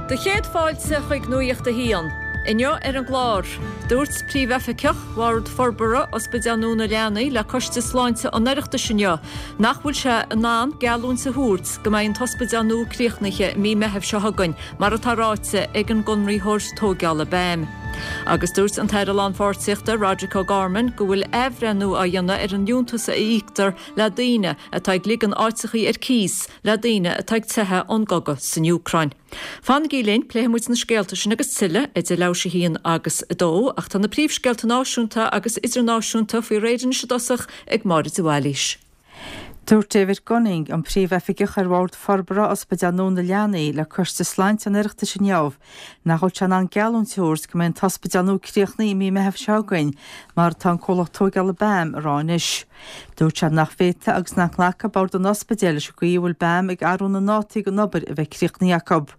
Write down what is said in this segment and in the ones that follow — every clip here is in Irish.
Do chéad fáilte chuig Nuacht a hAon. Inniu ar an gclár, dúirt Príomhoifigeach Bhord Forbartha Ospidéal Nua na Leanaí le Coiste Sláinte an Oireachtais inniu nach bhfuil sé in ann geallúint a thabhairt go mbeidh an t-ospidéal nua críochnaithe i mí Meithimh seo chugainn mar atá ráite ag an gconraitheoir tóigeála BAM. Agus dúirt an tAire Lánpháirtíochta Roderic O'Gorman go bhfuil athbhreithniú á dhéanamh ar an liúntas a íoctar le daoine atá ag ligean áiteachaí ar cíos le daoine atá ag teitheadh ón gcogadh san Úcráin. Fanaigí linn, pléifidh muid na scéalta sin agus tuilleadh idir leathuair théis 1 agus 2, ach tá na príomhscéalta náisiúnta agus idirnáisiúnta faoi réir anois i dtosach ag Máire de Bhailís. Dúirt David Gunning, an Príomhoifigeach ar Bhord Forbartha Ospidéal Nua na Leanaí le Coiste Sláinte an Oireachtais inniu nach bhfuil sé in ann geallúint a thabhairt go mbeidh an t-ospidéal nua críochnaithe i mí Meitheamh seo chugainn mar atá an comhlacht tóigeála BAM a rá anois. Dúirt sé nach bhféadfadh agus nach nglacfadh bord an ospidéil leis an gcaoi a bhfuil BAM ag athrú na ndátaí don obair a bheith críochnaithe acu.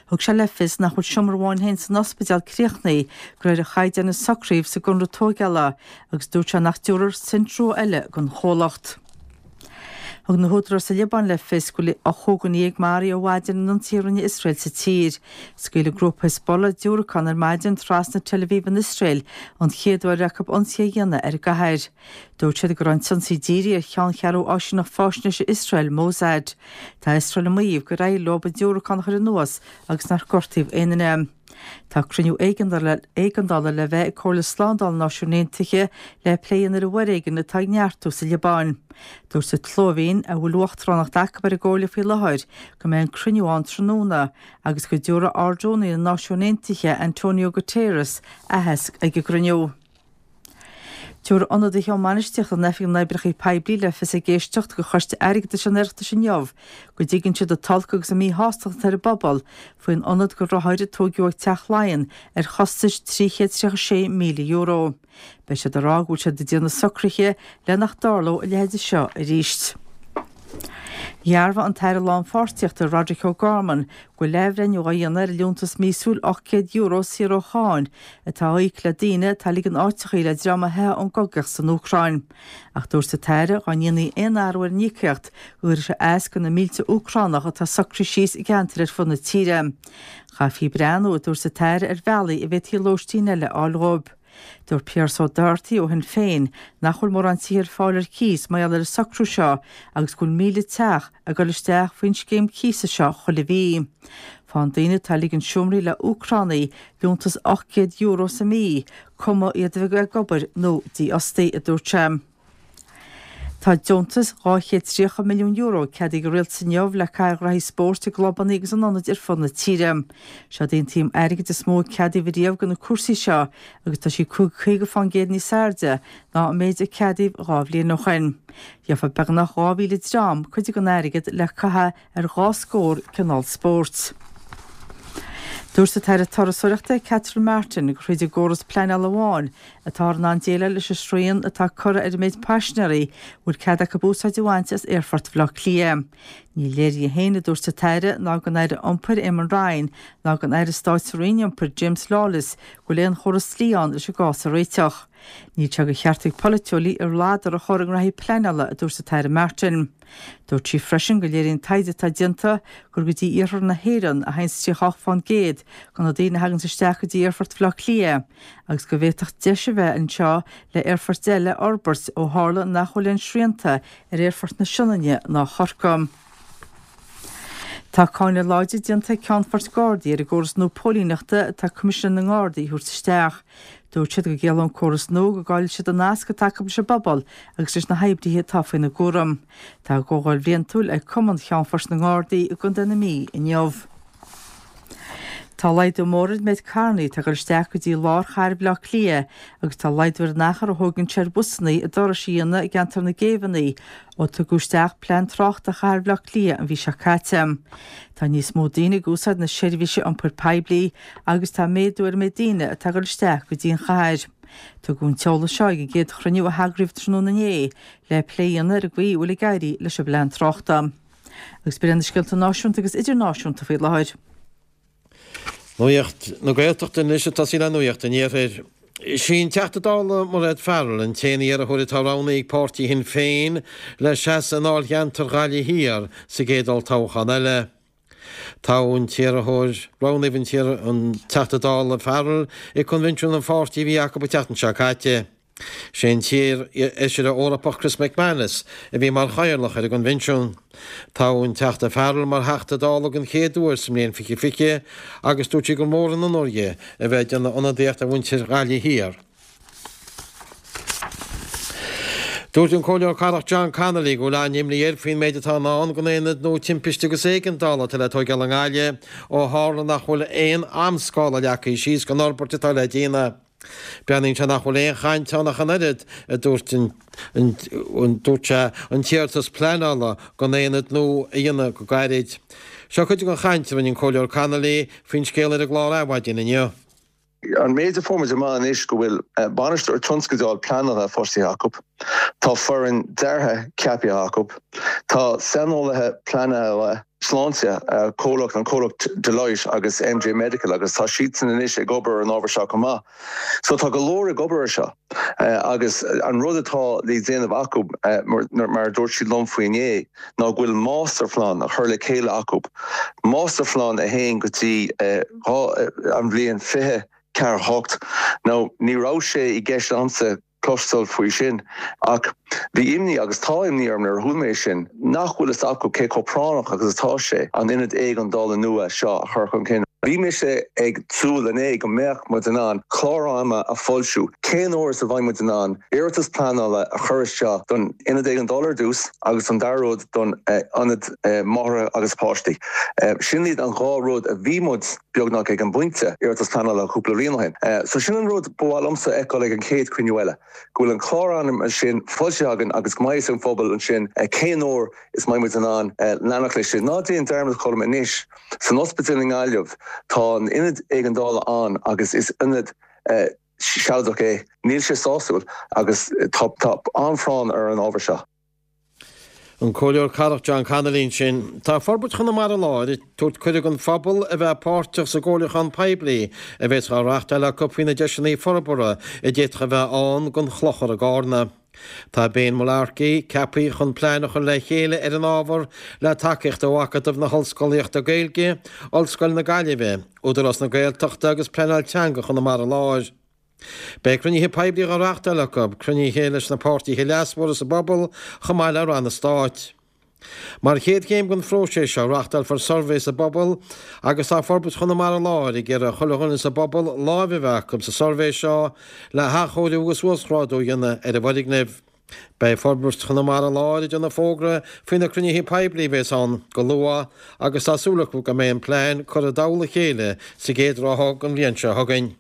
Thug sé le fios nach bhfuil seomra amháin féin san ospidéal críochnaithe de réir an chaighdeáin a socraíodh sa gconradh tóigeála agus dúirt sé nach dtabharfar cent rua eile don chomhlacht. Thug na húdaráis sa Liobáin le fios go bhfuil 15 dhuine maraithe ó mhaidin in ionsaithe a rinne Iosrael sa tír. Scaoil an grúpa Hezbollah diúracán ar maidin trasna Tel Aviv in Iosrael, an chéad uair acu ionsaí a dhéanamh ar an gcathair. Dúirt siad go raibh an t-ionsaí dírithe ar cheanncheathrú áisíneacht faisnéise Iosrael, Mossad. Tá Iosrael ag maíomh gur éirigh leo an diúracán a chur anuas agus nár gortaíodh aon duine. Tá cruinniú éigeandála le bheith ag Comhairle Slándála na Náisiún Aontaithe le plé a dhéanamh ar an bhforéigean atá ag neartú sa Liobáin. Dúirt an tSlóivéin, a bhfuil uachtaránacht acu ar an gComhairle faoi láthair, go mbeidh an cruinniú ann tráthnóna agus go dtabharfaidh Ard-Rúnaí na Náisiún Aontaithe, Antonio Guterres, aitheasc ag an gcruinniú. Tabharfaidh ionadaithe ó mbainistíocht in Oifig na nOibreacha Poiblí le fios ag éisteacht do Choiste Airgeadais an Oireachtais inniu go dtuigeann siad an t-olc agus an mhíshástacht atá ar an bpobal faoin ionad do rothair a tóigeadh ag Teach Laighean ar chostas €336,000. Beidh siad ag rá go bhfuil siad ag déanamh socruithe le nach dtarlódh a leithéid seo arís. Dhearbhaigh an tAire Lánpháirtíochta Roderic O'Gorman go bhfuil athbhreithniú á dhéanamh ar an liúntas míosúil €800 saor ó cháin atá á íoc le daoine atá ag ligean áiteachaí le dream a theith ón gcogaíocht san Úcráin. Ach dúirt an tAire dhá ndéanfaí aon athrú ar an íocaíocht go gcuirfeadh sé as do na mílte Úcránach atá socraithe síos i gceantair ar fud na tíre. Chaithfí breathnú, a dúirt an tAire, ar bhealaí a bhféadfaí lóistín eile a fháil dhóibh. Dúirt Pearse O'Doherty ó Shinn Féin nach bhfuil mórán tithe ar fáil ar cíos mar gheall ar an socrú seo agus go bhfuil 1,000 teach ag dul isteach faoin scéim cíosa seo chuile mhí. Faigheann daoine atá ag ligean seomraí le Úcránaigh liúntas €800 sa mhí, cuma iad a bheith ag obair nó dífhostaithe, a dúirt sé. Tá deontas €230 milliún ceadaithe ag an Rialtas inniu le caitheamh ar ghraithí spóirt i gclubanna agus in ionaid ar fud na tíre. Seod í an tsuim airgid is mó a ceadaíodh riamh do na cúrsaí seo agus tá sí 50% níos airde ná an méid a ceadaíodh dhá bhliain ó shin. Gheofa beagnach 2,000 dream cuid den airgead le caitheamh ar dhá scór cineál spóirt. Dúirt an tAire Turasóireachta Catherine Martin gur thríd an gcóras pleanála amháin atáthar in ann déileáil leis an srian atá curtha ar an méid paisinéirí a bhfuil cead acu úsáid a bhaint as Aerfort Bhaile Átha Cliath. Ní léir di féin, a dúirt an tAire, ná don Aire Iompair Eamon Ryan ná don Aire Stáit sa Roinn Iompair James Lawless go bhfuil aon chóras dlí ann leis an gcás a réiteach. Níl sé de cheart ag polaiteoirí a ladar a chur i ngraithí pleanála, a dúirt an tAire Martin. Dúirt sí freisin go léiríonn taighde atá déanta gur go dtí iarthar na hÉireann a théanns 38% de na daoine a thaganns isteach go dtí Aerfort Bhaile Átha Cliath agus go bhféadfadh deis a bheith anseo le aerfoirt eile a fhorbairt ó tharla nach bhfuil aon srianta ar Aerfort na Sionainne ná Chorcaí. Tá cáineadh láidir déanta ag Ceannfoirt Gardaí ar an gcóras nua póilíneachta atá Coimisinéir na nGardaí a thabhairt isteach. Dúirt siad go gciallódh an córas nua go gcaillfidh siad an nasc atá acu leis an bpobal agus leis na hoibrithe atá faoina gcúram. Tá a gcomhdháil bhliantúil ag Cumann Cheannfoirt na nGardaí i gContae na Mí inniu. Tá laghdú mór ar an méid carrannaí atá ag dul isteach go dtí lár chathair Bhaile Átha Cliath agus tá laghdú ar an achar a thógann sé ar bhusannaí a dturais a dhéanamh i gceantar na gCéibheanna ó tugadh isteach plean tráchta chathair Bhaile Átha Cliath an mhí seo caite. Tá níos mó daoine ag úsáid na seirbhíse iompair poiblí agus tá méadú ar an méid daoine atá ag dul isteach go dtí an chathair. Tugadh an t-eolas seo ag an gcéad chruinniú a heagraíodh tráthnóna inné le plé a dhéanamh ar an gcaoi a bhfuil ag éirí leis an bplean tráchta. Agus b'in iad na scéalta náisiúnta agus idirnáisiúnta faoi láthair. Nuacht na Gaeltachta anois ag tosaí le Nuacht an Iarthair. Is í an Teachta Dála Mairéad Farrell an t-aon iarrthóir atá roghnaithe ag páirtí Shinn Féin le seasamh i ndáilcheantar Ghaillimh Thiar sa gcéad olltoghchán eile. Toghadh an t-iarrthóir, roghnaíodh an Teachta Dála Farrell ag coinbhinsiún an pháirtí a bhí acu an tseachtain seo caite. Sé an t-iar-fheisire Eorpach Chris McManus a bhí mar chathaoirleach ar an gcoinbhinsiún. Toghadh an Teachta Farrell mar Theachta Dála den chéad uair sa mbliain 2020 agus dúirt sí gur mór an onóir di a bheith ag déanamh ionadaíocht ar mhuintir Ghaillimh Thiar. Dúirt an Comhairleoir Cathrach John Connolly go bhfuil an-imní air faoin méid atá i ndán don aonad nua timpiste agus éigeandála atá le tóigeáil i nGaillimh ó tharla nach bhfuil aon amscála leagtha síos don fhorbairt atá le déanamh. Breathnaíonn sé nach bhfuil aon chaint ann ach an oiread, a dúirt an dúirt sé, an t-iarratas pleanála don aonad nua a dhéanamh go gairid. Seo cuid den chaint a rinne an Comhairleoir Connolly faoin scéal ar an gclár Adhmhaidin inniu. An méid a fuair muid amach anois go bhfuil bainisteoir tionscadail pleanála fostaithe acu, tá foireann deartha ceaptha acu, tá saineolaithe pleanála sláinte, comhlacht, an comhlacht Deloitte agus MJ Medical agus tá siadsan anois ag obair ar an ábhar seo chomh maith. So tá go leor ag obair ar seo agus an rud atá le déanamh acu, mar a dúirt siad liom faoi inné, ná go bhfuil máistirphlean á chur le chéile acu, máistirphlean a théann go dtí an bhliain 2048. Now, ní raibh sé i gceist a'msa cloisteáil faoi sin, ach bhí imní, agus tá imní orm nuair a chuala mé sin, nach bhfuil fhios acu cé chomh práinneach agus atá sé an ionad éigeandála nua seo a chur chun cinn. Bhí mise ag súil inné go mbeadh muid in ann clár ama a fhoilsiú, cén uair is a bheidh muid in ann iarratas pleanála a chur isteach don ionad éigeandála ar dtús agus an dara rud don ionad máithreacha agus páistí. Sin iad an dhá rud a bhí muid beagnach ag an bpointe iarratas pleanála cúpla bliain ó shin. So sin an rud ba mhaith liomsa a fheiceáil ag an chéad chruinniú eile, go bhfuil an clár ama sin foilsithe againn agus go mbeidh fhios ag an phobal ansin cén uair is mbeidh muid in ann leanacht leis sin. Ná déan dearmad Colm anois, san ospidéal i nGaillimh tá an ionad éigeandála ann agus is ionad sealadach é. Níl sé sásúil agus tá an-phráinn ar an ábhar seo. An Comhairleoir Cathrach John Connolly ansin. Tá Forbairt Chonamara Láir ag tabhairt cuireadh don phobal a bheith páirteach sa gcomhairliúchán poiblí a bheas á reáchtáil acu faoi na deiseanna forbartha a d'fhéadfadh a bheith ann don Chlochar i gCarna. Tá Ben Mullarkey ceaptha chun plean a chur le chéile ar an ábhar le tacaíocht ó Acadamh na hOllscolaíochta Gaeilge, Ollscoil na Gaillimhe, Údarás na Gaeltachta agus Pleanáil Teanga Chonamara Láir. Beidh cruinnithe poiblí á reáchtáil acu, cruinnithe leis na páirtithe leasmhara sa bpobal chomh maith le ranna stáit. Mar chéad chéim den phróiseas seo, reáchtálfar suirbhé sa bpobal agus tá Forbairt Chonamara Láir ag iarraidh ar chuile dhuine sa bpobal láimh a bheith acu sa suirbhé seo le hathchóiriú agus uasghrádú a dhéanamh ar an bhfoirgneamh. Beidh Forbairt Chonamara Láir ag déanamh fógra faoi na cruinnithe poiblí a bheas ann go luath agus tá súil acu go mbeidh an plean curtha i dtoll a chéile sa gcéad ráithe den bhliain seo chugainn.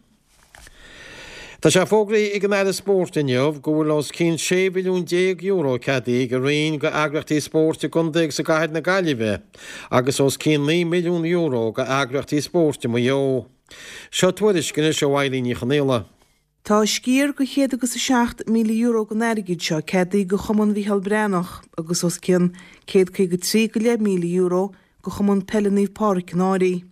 Tá sé fógraithe ag an Aire Spóirt inniu go bhfuil os cionn €16 mhilliún ceadaithe ag a Roinn go eagraíochtaí spóirt i gcontae agus i gcathair na Gaillimhe agus os cionn €9 milliún go eagraíochtaí spóirt i Maigh Eo. Seo tuairisc anois ó Eilín Ní Chonaola. Tá sciar de chéad agus €7,000 den airgead seo ceadaithe do Chumann Mhícheál Breathnach agus os cionn €153,500 do Chumann Peile Naomh Pádraig an Fhairche.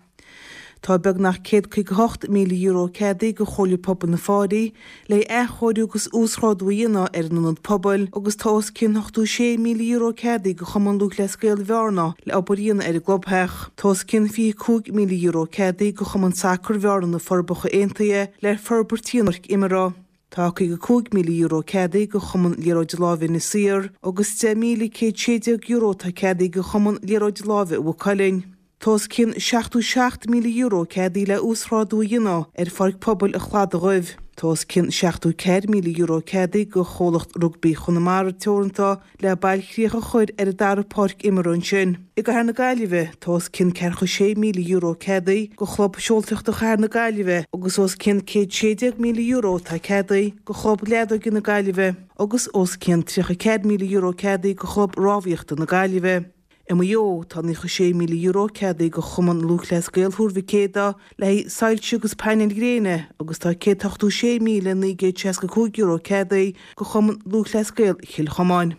Tá beagnach €158,000 ceadaithe do Chomhairle Pobail na Fáirí le athchóiriú agus uasghrádú a dhéanamh ar an ionad pobail agus tá os cionn €86,000 ceadaithe do Chumann Lúthchleas Gael Bhearna le obair a dhéanamh ar an gclubtheach. Tá os cionn €25,000 ceadaithe do Chumann Sacair Bhearna na Forbacha Aontaithe le forbairt a dhéanamh ar pháirc imeartha. Tá €55,000 ceadaithe do Chumann Liathróid Láimhe Inis Oírr agus €10,116 atá ceadaithe do Chumann Liathróid Láimhe Mhaigh Cuilinn. Tá os cionn €77,000 ceadaithe le uasghrádú a dhéanamh ar Pháirc Pobail an Chladaigh Dhuibh. Tá os cionn €74,000 ceadaithe do Chomhlacht Rugbaí Chonamara Teoranta le bailchríoch a chur ar an dara páirc imeartha ansin. I gCathair na Gaillimhe, tá os cionn €46,000 ceadaithe do Chlub Seoltóireachta Chathair na Gaillimhe agus os cionn €116,000 atá ceadaithe do Chlub Leadóige na Gaillimhe agus os cionn €34,000 ceadaithe do Chlub Rámhaíochta na Gaillimhe. I Maigh Eo, tá €96,000 ceadaithe do Chumann Lúthchleas Gael Thuar Mhic Éadaigh le haghaidh soilse agus painéil ghréine agus tá €186,965 ceadaithe do Chumann Lúthchleas Gael Chill Chomáin.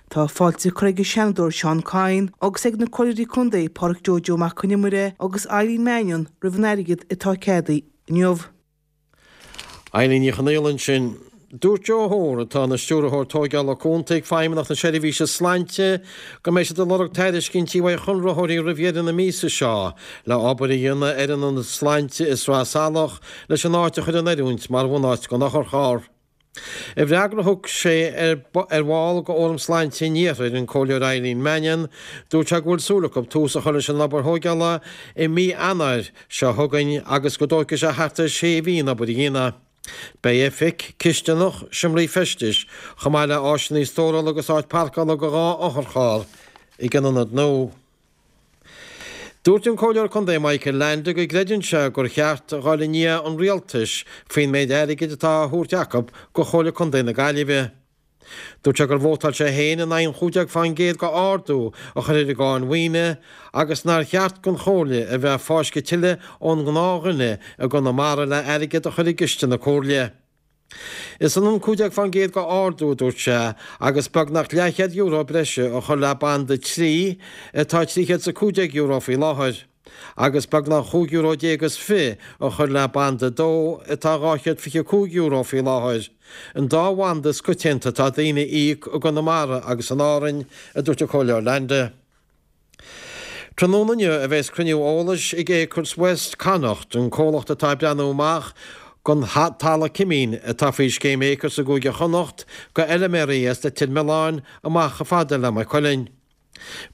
Tá fáilte curtha ag an Seanadóir Seán Kyne agus ag na Comhairleoirí Contae Pádraic Joe Joe Mac Con Iomaire agus Eileen Mannion roimh an airgead atá ceadaithe inniu. Eilín Ní Chonaola ansin. Dúirt Joe Hoare, atá ina Stiúrthóir Tóigeála Cúnta ag Feidhmeannacht na Seirbhíse Sláinte, go mbeidh siad ag lorg tairiscintí uaidh chonraitheoirí roimh dheireadh na míosa seo le obair a dhéanamh ar an Ionad Sláinte i Sraith Salach leis an áit a chur in oiriúint mar bhunáit don otharcharr. I bhfreagra a thug sé ar bhall de Fhóram Sláinte an Iarthair, an Comhairleoir Eileen Mannion, dúirt sé go bhfuil súil acu tús a chur leis an obair thóigeála i mí Eanáir seo chugainn agus go dtógfaidh sé thart ar shé mhí an obair a dhéanamh. Beidh oifig, cisteanach, seomraí feistis, chomh maith le áiseanna stórála agus áit parcála do 2 otharcharr ag an ionad nua. Dúirt an Comhairleoir Contae Michael Leainde go gcreideann sé gur cheart a dhul i ndiaidh an Rialtais faoin méid airgid atá á thabhairt acu do Chomhairle Contae na Gaillimhe. Dúirt sé gur vótáil sé féin in aghaidh an 15% de ardú a chur ar an gcáin mhaoine agus nár cheart don Chomhairle a bheith ag fáisceadh tuilleadh ón ngnáthdhuine i gConamara le airgead a chur i gciste na Comhairle. Is ionann 15% de ardú, a dúirt sé, agus beagnach leathchéad euro breise a chur le banda 3, atá €315 faoi láthair, agus beagnach chúig euro déag is fi a chur le banda 2, atá €225 faoi láthair, an dá bhanda is coitianta atá daoine a íoc i gConamara agus in Árainn, a dúirt an Comhairleoir Leainde. Tráthnóna inniu a bheas cruinniú eolais ag Acres West Connacht, an comhlacht atá ag breathnú amach don talamh cimín atá faoi scéim Acres i gCúige Chonnacht go fheiliméaraí as Leitir Mealláin amach chomh fada le Maigh Cuilinn.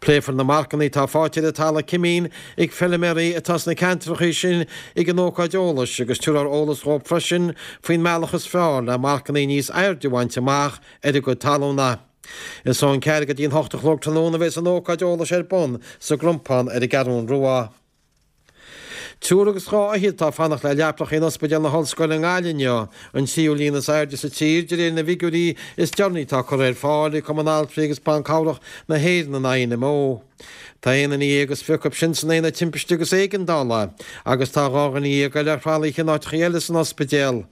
Pléifear na marcanna atá faighte ar an talamh cimín ag feiliméaraí atá sna ceantracha sin ag an ócáid eolais agus tabharfar eolas dhóibh freisin faoin mbealach is fearr le marcanna níos airde a bhaint amach ar a gcuid talúna. Is ón ceathair go dtí an hocht a chlog tráthnóna a bheas an ócáid eolais ar bun sa gCrompán ar an gCeathrún Rua. Triúr agus dhá fhichead atá ag fanacht le leapacha in Ospidéal na hOllscoile i nGaillimh inniu, an tríú líon is airde sa tír de réir na bhfigiúirí is deireanaí atá curtha ar fáil ag Cumann Altraí agus Ban Cabhrach na hÉireann, an INMO. Tá aon duine dhéag is fi acu sin san Aonad Timpiste agus Éigeandála agus tá 12 dhuine eile ar thralaithe in áiteacha eile san ospidéal.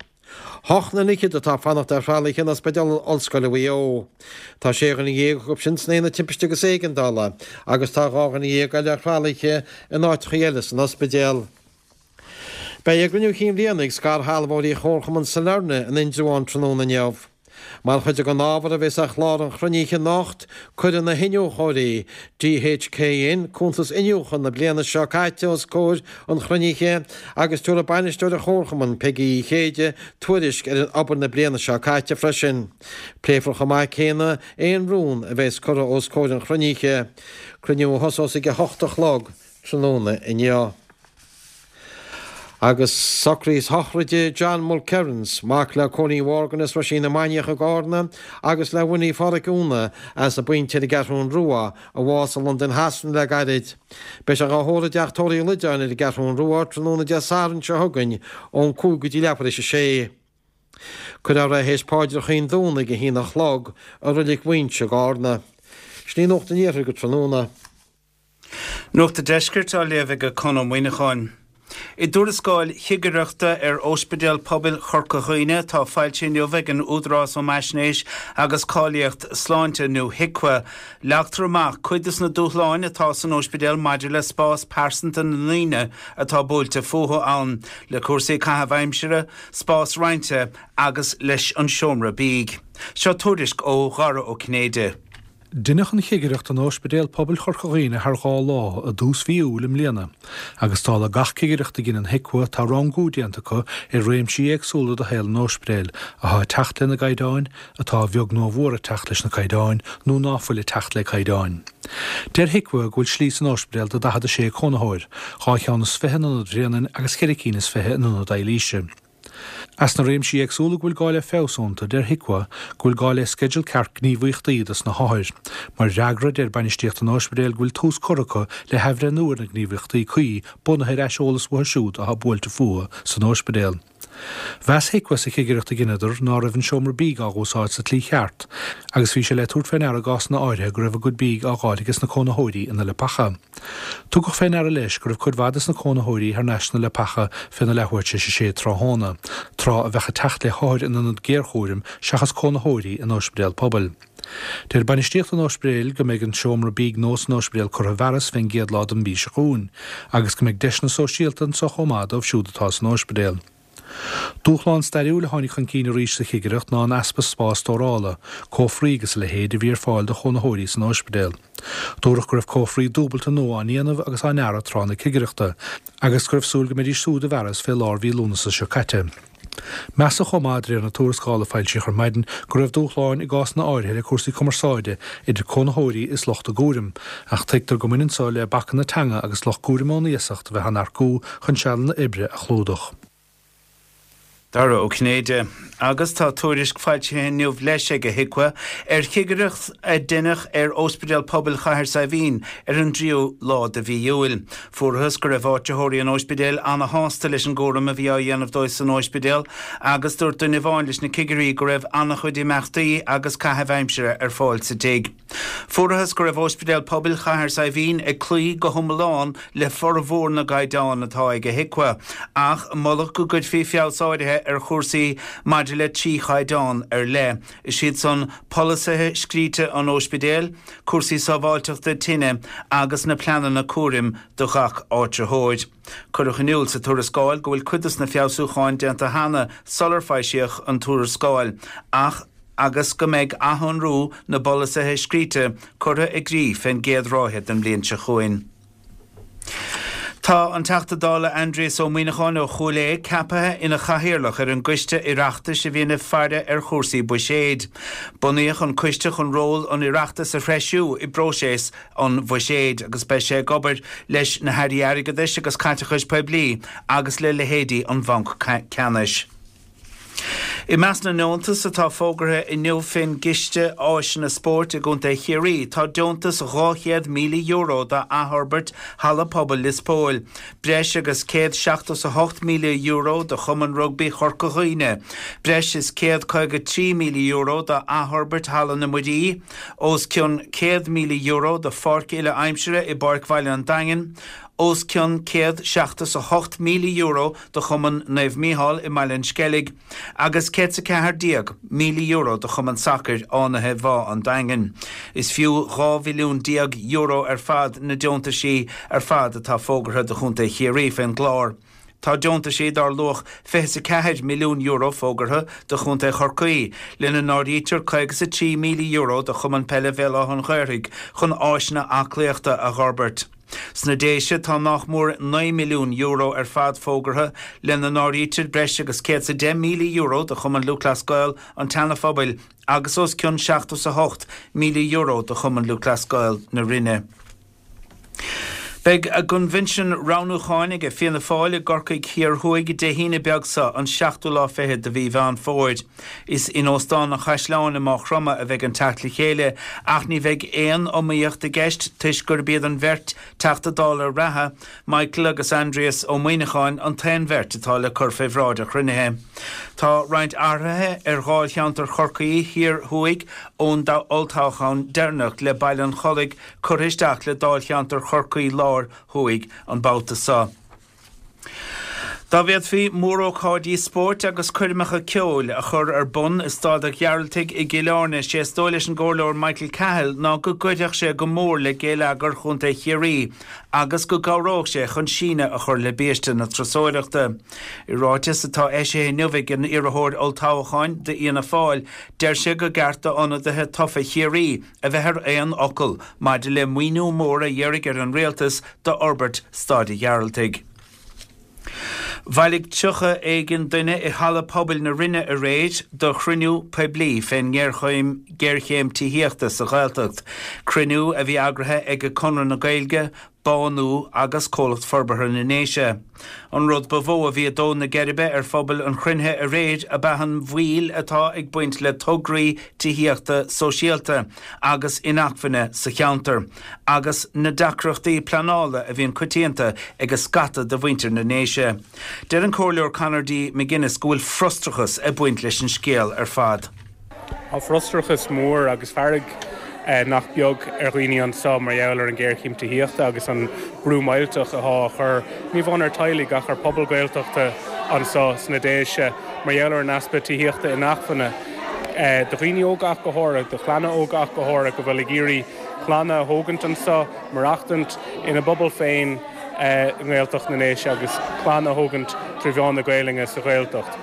Hocht nduine fhichead atá ag fanacht ar thralaithe in Ospidéal Ollscoile Mhaigh Eo. Tá sé dhuine dhéag acu sin san Aonad Timpiste agus Éigeandála agus tá 12 dhuine eile ar thralaithe in áiteacha eile san ospidéal. Beidh a gcruinniú cinn bhliana ag scairshealbhóirí Chomharchumann Sailearna in Indreabhán tráthnóna inniu. Mar chuid den ábhar a bheas ar chlár an chruinnithe anocht, cuirfidh na hiniúchóirí, DHKN, cuntas iniúchadh na bliana seo caite os comhair an chruinnithe agus tabharfaidh bainisteoir an Chomharchumainn, Peigí Uí Chéide, tuairisc ar an obair na bliana seo caite freisin. Pléifear chomh maith céanna aon rún a bheas curtha os comhair an chruinnithe. Cruinniú a thosós ag a hocht a chlog tráthnóna inniu. Agus socraid sochraide John Mulkerrins, mac le Cóilín Mhorgan as Roisín na Mainiach i gCárna agus le Winnie Pháraic Úna as an bPointe ar an gCeathrún Rua, a bhásaigh i Londain Shasana le gairid. Beidh sé dhá thórramh i dTeach Tórraimh Uí Loideáin ar an gCeathrún Rua tráthnóna Dé Sathairn seo chugainn ón 5 go dtí leathuair théis a sé. Cuirfear é théis paidreacha an Domhnaigh ag a haon a chlog i Reilig Mhuinseo i gCárna. Sin í Nuacht an Iarthair go tráthnóna. Nuacht an Deiscirt á léamh ag Conn Ó Muíneacháin. I dtuarascáil chigireachta ar Ospidéal Pobail Chorca Dhuibhne atá foilsithe inniu ag an Údarás um Fhaisnéis agus Cáilíocht Sláinte nó HIQA, leagtar amach cuid de na dúshláin atá san ospidéal maidir le spás pearsanta na ndaoine atá buailte fúthu ann, le cúrsaí caitheamh aimsire, spás roinnte agus leis an seomra bídh. Seo tuairisc ó Dhara Ó Cinnéide. Deineadh an chigireacht in Ospidéal Pobail Chorca Dhuibhne thar 2 lá i dtús mhí Iúil i mbliana agus dála gach cigireacht a dheineann HIQA tá rangú déanta acu ar réimsí éagsúla de shaol an ospidéil athá ag teacht lena gcaighdeáin, atá a bheag nó a mhór ag teacht leis na caighdeáin nó ná fuil ag teacht le caighdeáin. Deir HIQA go bhfuil slí san ospidéal do 46 cónaitheoir, 2 cheann is fiche in Ionad Bhréanainn agus cheithre cinn is fiche in Ionad Eilíse. As na réimsí éagsúla go bhfuil gá le feabhas iontu, deir HIQA go bhfuil gá le sceideal ceart gníomhaíochtaí dos na hothair. Mar fhreagra, deir bainistíocht an ospidéil go bhfuil tús curtha acu le hathbhreithniú ar na gníomhaíochtaí cuí bunaithe ar aiseolas uathu siúd atá buailte fúthu san ospidéal. Mheas HIQA sa chigireacht a dheineadar ná raibh an seomra bídh á dh'úsáid sa tslí cheart agus bhí sé le tabhairt fé ndeara i gcásanna áirithe go raibh a gcuid bídh á dh'fháil ages na cónaitheoirí ina leapacha. Tugadh fé ndeara leis go raibh cuid mhaith des na cónaitheoirí thar n-ais sna leapacha féna leathuair tar éis a sé tráthnóna, tráth a bheadh ag teacht le hothair in ionad géarchúraim seachas cónaitheoirí in ospidéal pobail. Deir bainistíocht an ospidéil go mbeidh an seomra bídh nua san ospidéal curtha i bhfearas fén gcéad lá den mhí seo chugainn agus go mbeidh deiseanna sóisialta anso chomh maith dóibh siúd atá san ospidéal. Dúshlán stairiúil a tháinig chun cinn arís sa chigireacht ná an easpa spás stórála, cófraí agus a leithéid, a bhí ar fáil do chónaitheoirí san óispidéal. Dúradh go raibh cófraí dúbailte nua á ndéanamh agus á ndearadh tráth na cigireachta, agus go raibh súil go mbeidís úd i bhfearas fé lár mhí Lúnasa seo caite. Measadh chomh maith, de réir na tuarascála a foilsíodh ar maidin, go raibh dúshláin i gcásanna áirithe le cúrsaí cumarsáide idir cónaitheoirí is lucht a gcúraim, ach tuigtear go mbaineann so le bacanna teanga agus lucht cúraim ón iasacht a bheith á n-earcú chun sealanna oibre a chlúdach. Dara Ó Cinnéide. Agus tá tuairisc foilsithe inniu leis ag HIQA ar chigireacht a deineadh ar Ospidéal Pobail Chathair Saidhbhín ar an dtríú lá de mhí Iúil. Fuarathas go raibh áitritheoirí an óispidéil ana-shásta leis an gcúram a bhí á dhéanamh dóibh san óispidéal agus dúirt duine amháin leis na cigirí go raibh ana-chuid imeachtaí agus caithimh aimsire ar fáil sa tigh. Fuarathas go raibh Óispidéal Pobail Chathair Saidhbhín ag cloí go hiomlán le formhór na gcaighdeán atá ag HIQA, ach moladh go gcuirfí feabhas áirithe ar chúrsaí maidir le 3 chaighdeán ar leith, is iad san, polasaithe scríte an óispidéil, cúrsaí sábháilteachta tine agus na pleananna cúraim do ghach áitritheoir. Cuireadh in iúl sa tuarascáil go bhfuil cuid de na feabhsúcháin déanta cheana sular foilsíodh an tuarascáil, ach. agus go mbeidh athshonrú na bpolasaithe scríte curtha i gcrích fén gcéad ráithe den bhliain seo chugainn. Tá an Teachta Dála Aindrias Ó Muíneacháin ó Chúil Aodha ceaptha ina chathaoirleach ar an gcoiste Oireachtais a bhíonn ag faire ar chúrsaí buiséid. Bunaíodh an coiste chun ról an Oireachtais a threisiú i bpróiseas an bhuiséid agus beidh sé ag obair leis na hAirí Airgeadais agus Caiteachais Poiblí agus le leithéidí an Bhanc Ceannais. I measc na ndeontas atá fógartha inniu fén gCiste Áiseanna Spóirt i gContae Chiarraí tá deontas €200,000 d'athfhorbairt Halla Pobail Lios Póil, breis agus €178,000 do Chumann Rugbaí Chorca Dhuibhne, breis is €153,000 d'athfhorbairt Halla na Muirí, os cionn €100,000 do pháirc uile-aimsire i bPáirc Bhaile an Daingin, os cionn €178,000 do Chumann Naomh Mícheál i mBaile an Sceilg agus €114,000 do Chumann Sacair Fhánaithe Bhá an Daingin. Is fiú €12 mhilliún ar fad na deontaisí ar fad atá fógartha do Chontae Chiarraí fén gclár. Tá deontaisí dar luach €24 milliún fógartha do Chontae Chorcaí, lena n-áirítear €53,000 do Chumann Peile Bhéal Átha an Ghaorthaidh chun áiseanna aclaíochta a dh'fhorbairt. Sna Déise tá nách mór €9 milliún ar fad fógartha, lena n-áirítear breis agus €110,000 do Chumann Lúthchleas Gael an tSeana-Phobail agus os cionn €78,000 do Chumann Lúthchleas Gael na Rinne. Beidh a gcoinbhinsean roghnúcháin ag Fianna Fáil i gCorcaigh Thiar Thuaidh Dé hAoine beag seo, an seachtú lá fichead de mhí Mheán Fómhair. Is in Óstán an Chaisleáin i Máigh Chromtha a bheidh an teacht le chéile ach ní bheidh aon iomaíocht i gceist toisc gurb iad an bheirt Teachta Dála reatha, Michael agus Aindrias Ó Muíneacháin, an t-aon bheirt atá le cur fé bhráid an chruinnithe. Tá roinnt athruithe ar dháilcheantar Chorcaí Thiar Thuaidh ón olltoghchán deireanach le Baile an Chollaigh curtha isteach le dáilcheantar Chorcaí Láir Thuaidh an babhta seo. Dá bhféadfaí mórócáidí spóirt agus coirmeacha ceoil a chur ar bun i Staid an Ghearaltaigh i gCill Airne, sé is dóigh leis an gComhairleoir Michael Cahill ná go gcuirfeadh sé go mór le géilleagar Chontae Chiarraí agus go gcabhródh sé chun síneadh a chur le biaiste na turasóireachta. I ráiteas atá eisithe inniu ag an iarrthóir olltoghcháin d'Fhianna Fáil, deir sé go gceart d'ionadaithe tofa Chiarraí a bheith ar aon fhocal maidir le maoiniú mór a iarraidh ar an Rialtas d'fhorbairt Staid an Ghearaltaigh. Bhailigh 30 éigin duine i Halla Pobail na Rinne aréir do chruinniú poiblí fén ngéarchéim tithíochta sa Ghaeltacht, cruinniú a bhí eagraithe ag Conradh na Gaeilge, Bánú agus Comhlacht Forbartha na nDéise. An rud ba mhó a bhí ag dó na geirbe ar phobal an chruinnithe aréir ab ea an mhoill atá ag baint le tograí tithíochta sóisialta agus inacmhainne sa cheantar agus na deacrachtaí pleanála a bhíonn coitianta ag scata de mhuintir na nDéise. Deir an Comhairleoir Conor D. McGuinness go bhfuil frustrachas ag baint leis an scéal ar fad. Tá frustrachas mór agus fearg nach beag ar dhaoine anseo mar gheall ar an ghéarchéim tithíochta agus an brú millteach atá á chur, ní amháin ar teaghlaigh ach ar pobal Gaeltachta anseo sna Déise mar gheall ar an easpa tithíochta inacmhainne do dhaoine óga ach go háirithe, do chlanna óga ach go háirithe go bhfuil ag iarraidh clanna a thógaint anseo, maireachtaint ina bpobal féin. i nGaeltacht na nDéise agus clann a thógaint trí mheán na Gaelainne sa Ghaeltacht.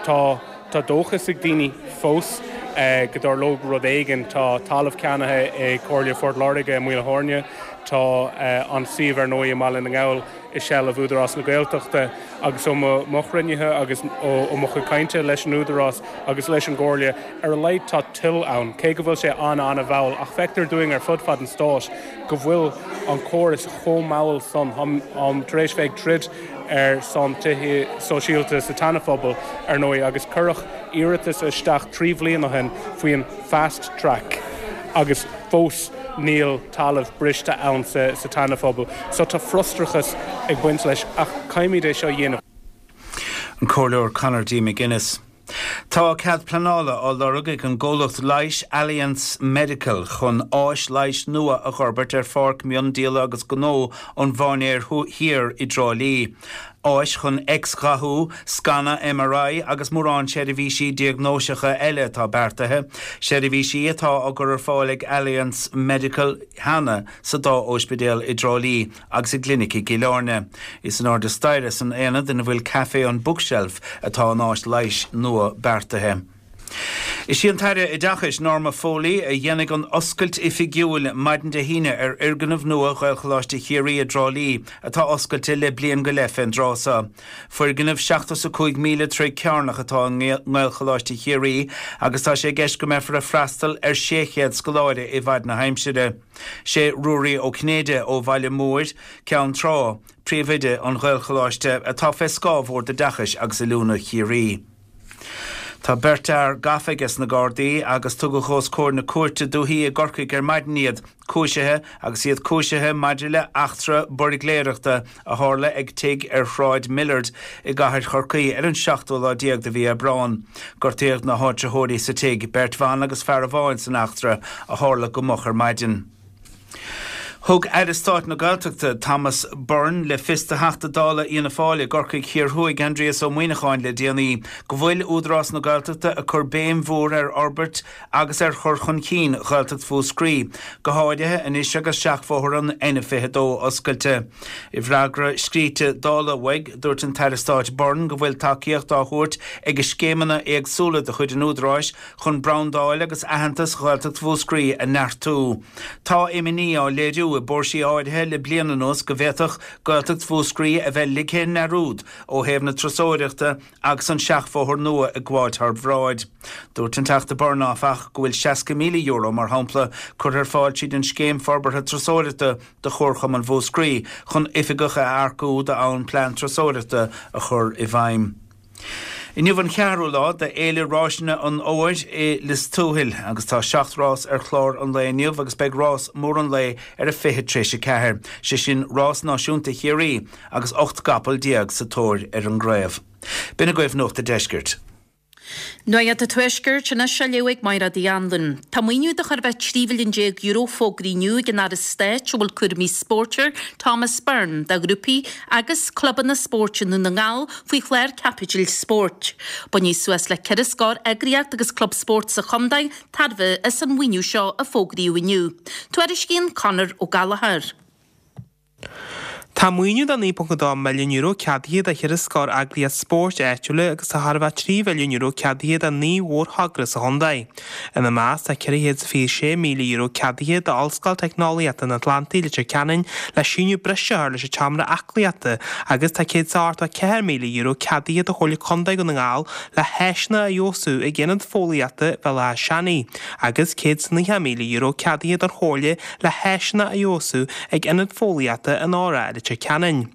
Tá tá dóchas ag daoine fós go dtarlódh rud éigin. Tá talamh ceannaithe ag Comhairle Phort Láirge i Maoil Thairne. Tá an suíomh ar ndóigh i mBaile na nGall i seilbh Údarás na Gaeltachta agus ó mo chruinnithe agus ó mo chuid cainte leis an Údarás agus leis an gComhairle, ar a laghad tá toil ann, cé go bhfuil sé an-an-mhall, ach feictear dúinn ar fud fad an stáit go bhfuil an córas chomh mall san. Táim tar éis bheith ag troid ar son tithe sóisialta sa tSeana-Phobal, ar ndóigh, agus cuireadh iarratas isteach 3 bhliain ó shin faoin fast track agus fós níl talamh briste ann sa tSeana-Phobal. So tá frustrachas ag baint leis ach caithfimid é seo a dhéanamh. An Comhairleoir Conor D. McGuinness. Tá cead pleanála á lorg ag an gcomhlacht leighis Alliance Medical chun áis leighis nua a dh'fhorbairt ar Pháirc Mhiondíola agus Gnó an Mhainéir Thiar i dTrá Lí. Áis chun X-ghathú, scanadh MRI agus mórán seirbhísí diagnóiseacha eile atá beartaithe, seirbhísí atá á gcur ar fáil ag Alliance Medical cheana sa dá óispidéal i dTrá Lí agus i gclinic i gCill Airne. Is in airde staighre san aonad ina bhfuil Caifé an Bookshelf atá an áis leighis nua beartaithe. Is í an tAire Oideachais Norma Foley a dhéanfaidh an oscailt oifigiúil maidin Dé hAoine ar fhoirgneamh nua Ghaelcholáiste Chiarraí i dTrá Lí atá oscailte le bliain go leith fén dtráth seo. Foirgneamh 75,000 troigh cearnach atá i nGaelcholáiste Chiarraí agus tá sé i gceist go mbeifear ag freastal ar 600 scoláire i bhfaid na haimsire. Sé Ruairí Ó Cinnéide ó Bhaile Móir, Ceann Trá, príomhoide an Ghaelcholáiste, atá fé scáth Bhord Oideachais agus Oiliúna Chiarraí. Tá beirt fhear gafa ages na Gardaí agus tugadh os comhair na cúirte dúichí i gCorcaigh ar maidin iad, cúisithe agus iad cúisithe maidir le eachtra buirgléireachta a tharla ag tigh ar Shráid Millard i gcathair Chorcaí ar an seachtú lá déag de mhí Aibreán. Gortaíodh na háitritheoirí sa tigh, beirt bhan agus fear amháin san eachtra a tharla go moch ar maidin. Thug Aire Stáit na Gaeltachta, Thomas Byrne, le fios do Theachta Dála Fhianna Fáil i gCorcaigh Thiar Thuaidh, Aindrias Ó Muimhneacháin le déanaí go bhfuil Údarás na Gaeltachta ag cur béim mhór ar fhorbairt agus ar chur chun cinn Ghaeltacht Mhúscraí, go háirithe anois agus seachbhóthar an N22 oscailte. I bhfreagra scríte Dála uaidh, dúirt an tAire Stáit Byrne go bhfuil tacaíocht á thabhairt ag scéimeanna éagsúla de chuid an Údaráis chun brandáil agus aitheantas Ghaeltacht Mhúscraí a neartú. Tá imní á léiriú i bpóirsí áirithe le bliain anuas go bhféadfadh Gaeltacht Mhúscraí a bheith ligthe i ndearúd ó thaobh na turasóireachta agus an seachbhóthar nua ag gabháil thar bráid. Dúirt an Teachta Byrne, áfach, go bhfuil €60,000, mar shampla, curtha ar fáil tríd an Scéim Forbartha Turasóireachta do Chomharchumann Mhúscraí chun oifigeach a earcú d'fhonn plean turasóireachta a chur i bhfeidhm. Inniu an cheathrú lá d'Fhéile Ráiseanna an Fhómhair i Lios Tuathail agus tá 7 rás ar chlár an lae inniu agus beidh rás mór an lae ar a fiche tar éis a ceathair, sé sin Rás Náisiúnta Chiarraí agus 18 gcapall sa tóir ar an gcraobh. B'in agaibh Nuacht a' Deiscirt. Nuacht an Tuaiscirt anois á léamh ag Máire Uí Anluain. Tá maoiniú de chóir a bheith €13 mhilliún fógraithe inniu ag an Aire Stáit a bhfuil cúraimí spóirt air, Thomas Byrne, do ghrúpaí agus clubanna spóirt i nDún na nGall faoi chlár caipitil spóirt. Bainfidh suas le ceithre scór eagraíocht agus club spóirt sa chontae tairbhe as an mhaoiniú seo a fógraíodh inniu. Tuairiscíonn Conor Ó Gallchóir. Tá maoiniú de €9.2 milliún ceadaithe do cheithre scór eagraíocht spóirt áitiúla agus tá chóir a bheith €3 mhilliún ceadaithe do 9 mhórthogra sa chontae. Ina measc tá €426,000 ceadaithe d'Ollscoil Teicneolaíochta an Atlantaigh, Leitir Ceanainn le síneadh breise a chur leis an tseomra aclaíochta agus tá €184,000 ceadaithe do Chomhairle Contae Dhún na nGall le háiseanna a fheabhsú ag Aonad Fóillíochta Bhéal Átha Seanaidh agus €190,000 ceadaithe don Chomhairle le háiseanna a fheabhsú ag Ionad Fóillíochta an RA i Leitir Ceanainn.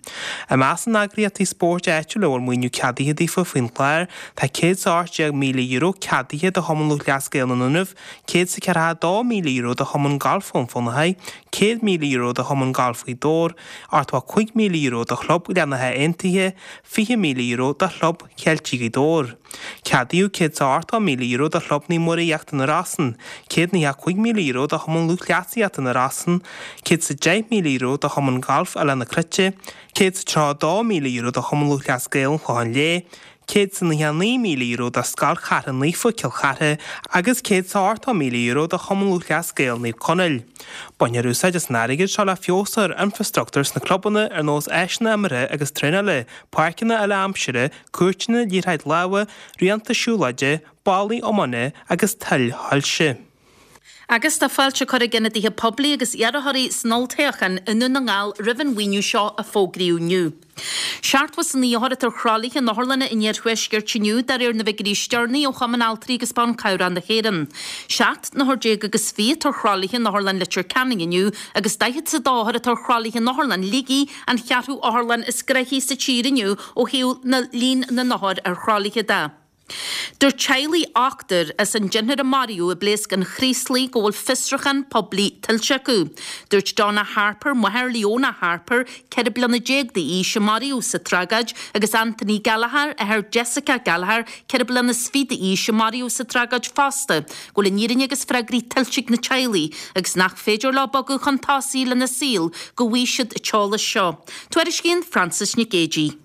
I measc na n-eagraíochtaí spóirt áitiúla a bhfuil maoiniú ceadaithe daofa faoin gclár, tá €118,000 ceadaithe do Chumann Lúthchleas Gael na nDúnaibh, €142,000 do Chumann Gailf Bhun Fionnachaidh, €100,000 do Chumann Gailf Ghaoth Dobhair, €85,000 do Chlub Ghleann Átha Aontaithe, €20,000 do Chlub Cheiltigh Ghaoth Dobhair. Ceadaíodh €180,000 do Chlub Naomh Muire Íochtar na Rosann, €195,000 do Chumann Lúthchleasaíochta na Rosann, €110,000 do Chumann Gailf Oileán na Cruite, €132,000 do Chumann Lúthchleas Gael an Chlocháin Léith, €199,000 do Scoil Chartha Naofa, Cill Chartha agus €180,000 do Chumann Lúthchleas Gael Naomh Conaill. Bainfear úsáid as an airgead seo le feabhas a chur ar infreastruchtúr sna clubanna ar nós áiseanna imeartha agus traenála, páirceanna uile-aimsire, cúirteanna liathróid láimhe, raonta siúlóide, ballaí iomána agus toil shoilse. Agus tá fáilte curtha ag ionadaithe poiblí agus iarrthóirí san olltoghchán i nDún na nGall roimh an mhaoiniú seo a fógraíodh inniu. 79 othar atá ar thralaithe in otharlanna an iarthuaiscirt inniu, de réir na bhfigiúirí is deireanaí ó Chumann Altraí agus Ban Cabhrach na hÉireann. 17 n-othar agus 20 atá ar thralaithe in Otharlann Leitir Ceanainn inniu agus 42 othar atá ar thralaithe in Otharlann Shligigh, an cheathrú otharlann is gnoithí sa tír inniu ó thaobh na líon na n-othar ar thralaithe de. Dúirt teaghlaigh ochtair as an deichniúr a maraíodh i bpléasc an Chraoslaigh go bhfuil fiosrúchán poiblí tuillte acu. Dúirt Donna Harper, máthair Leona Harper, 14 bliana d'aois, a maraíodh sa tragóid, agus Anthony Gallagher, athair Jessica Gallagher, 24 bliana d'aois, a maraíodh sa tragóid fosta, go bhfuil an fhírinne agus freagraí tuillte ag na teaghlaigh agus nach féidir leo bogadh chun tosaigh lena saol go bhfaighidh siad an t-eolas seo. Tuairiscíonn Frances Nic Géadaigh.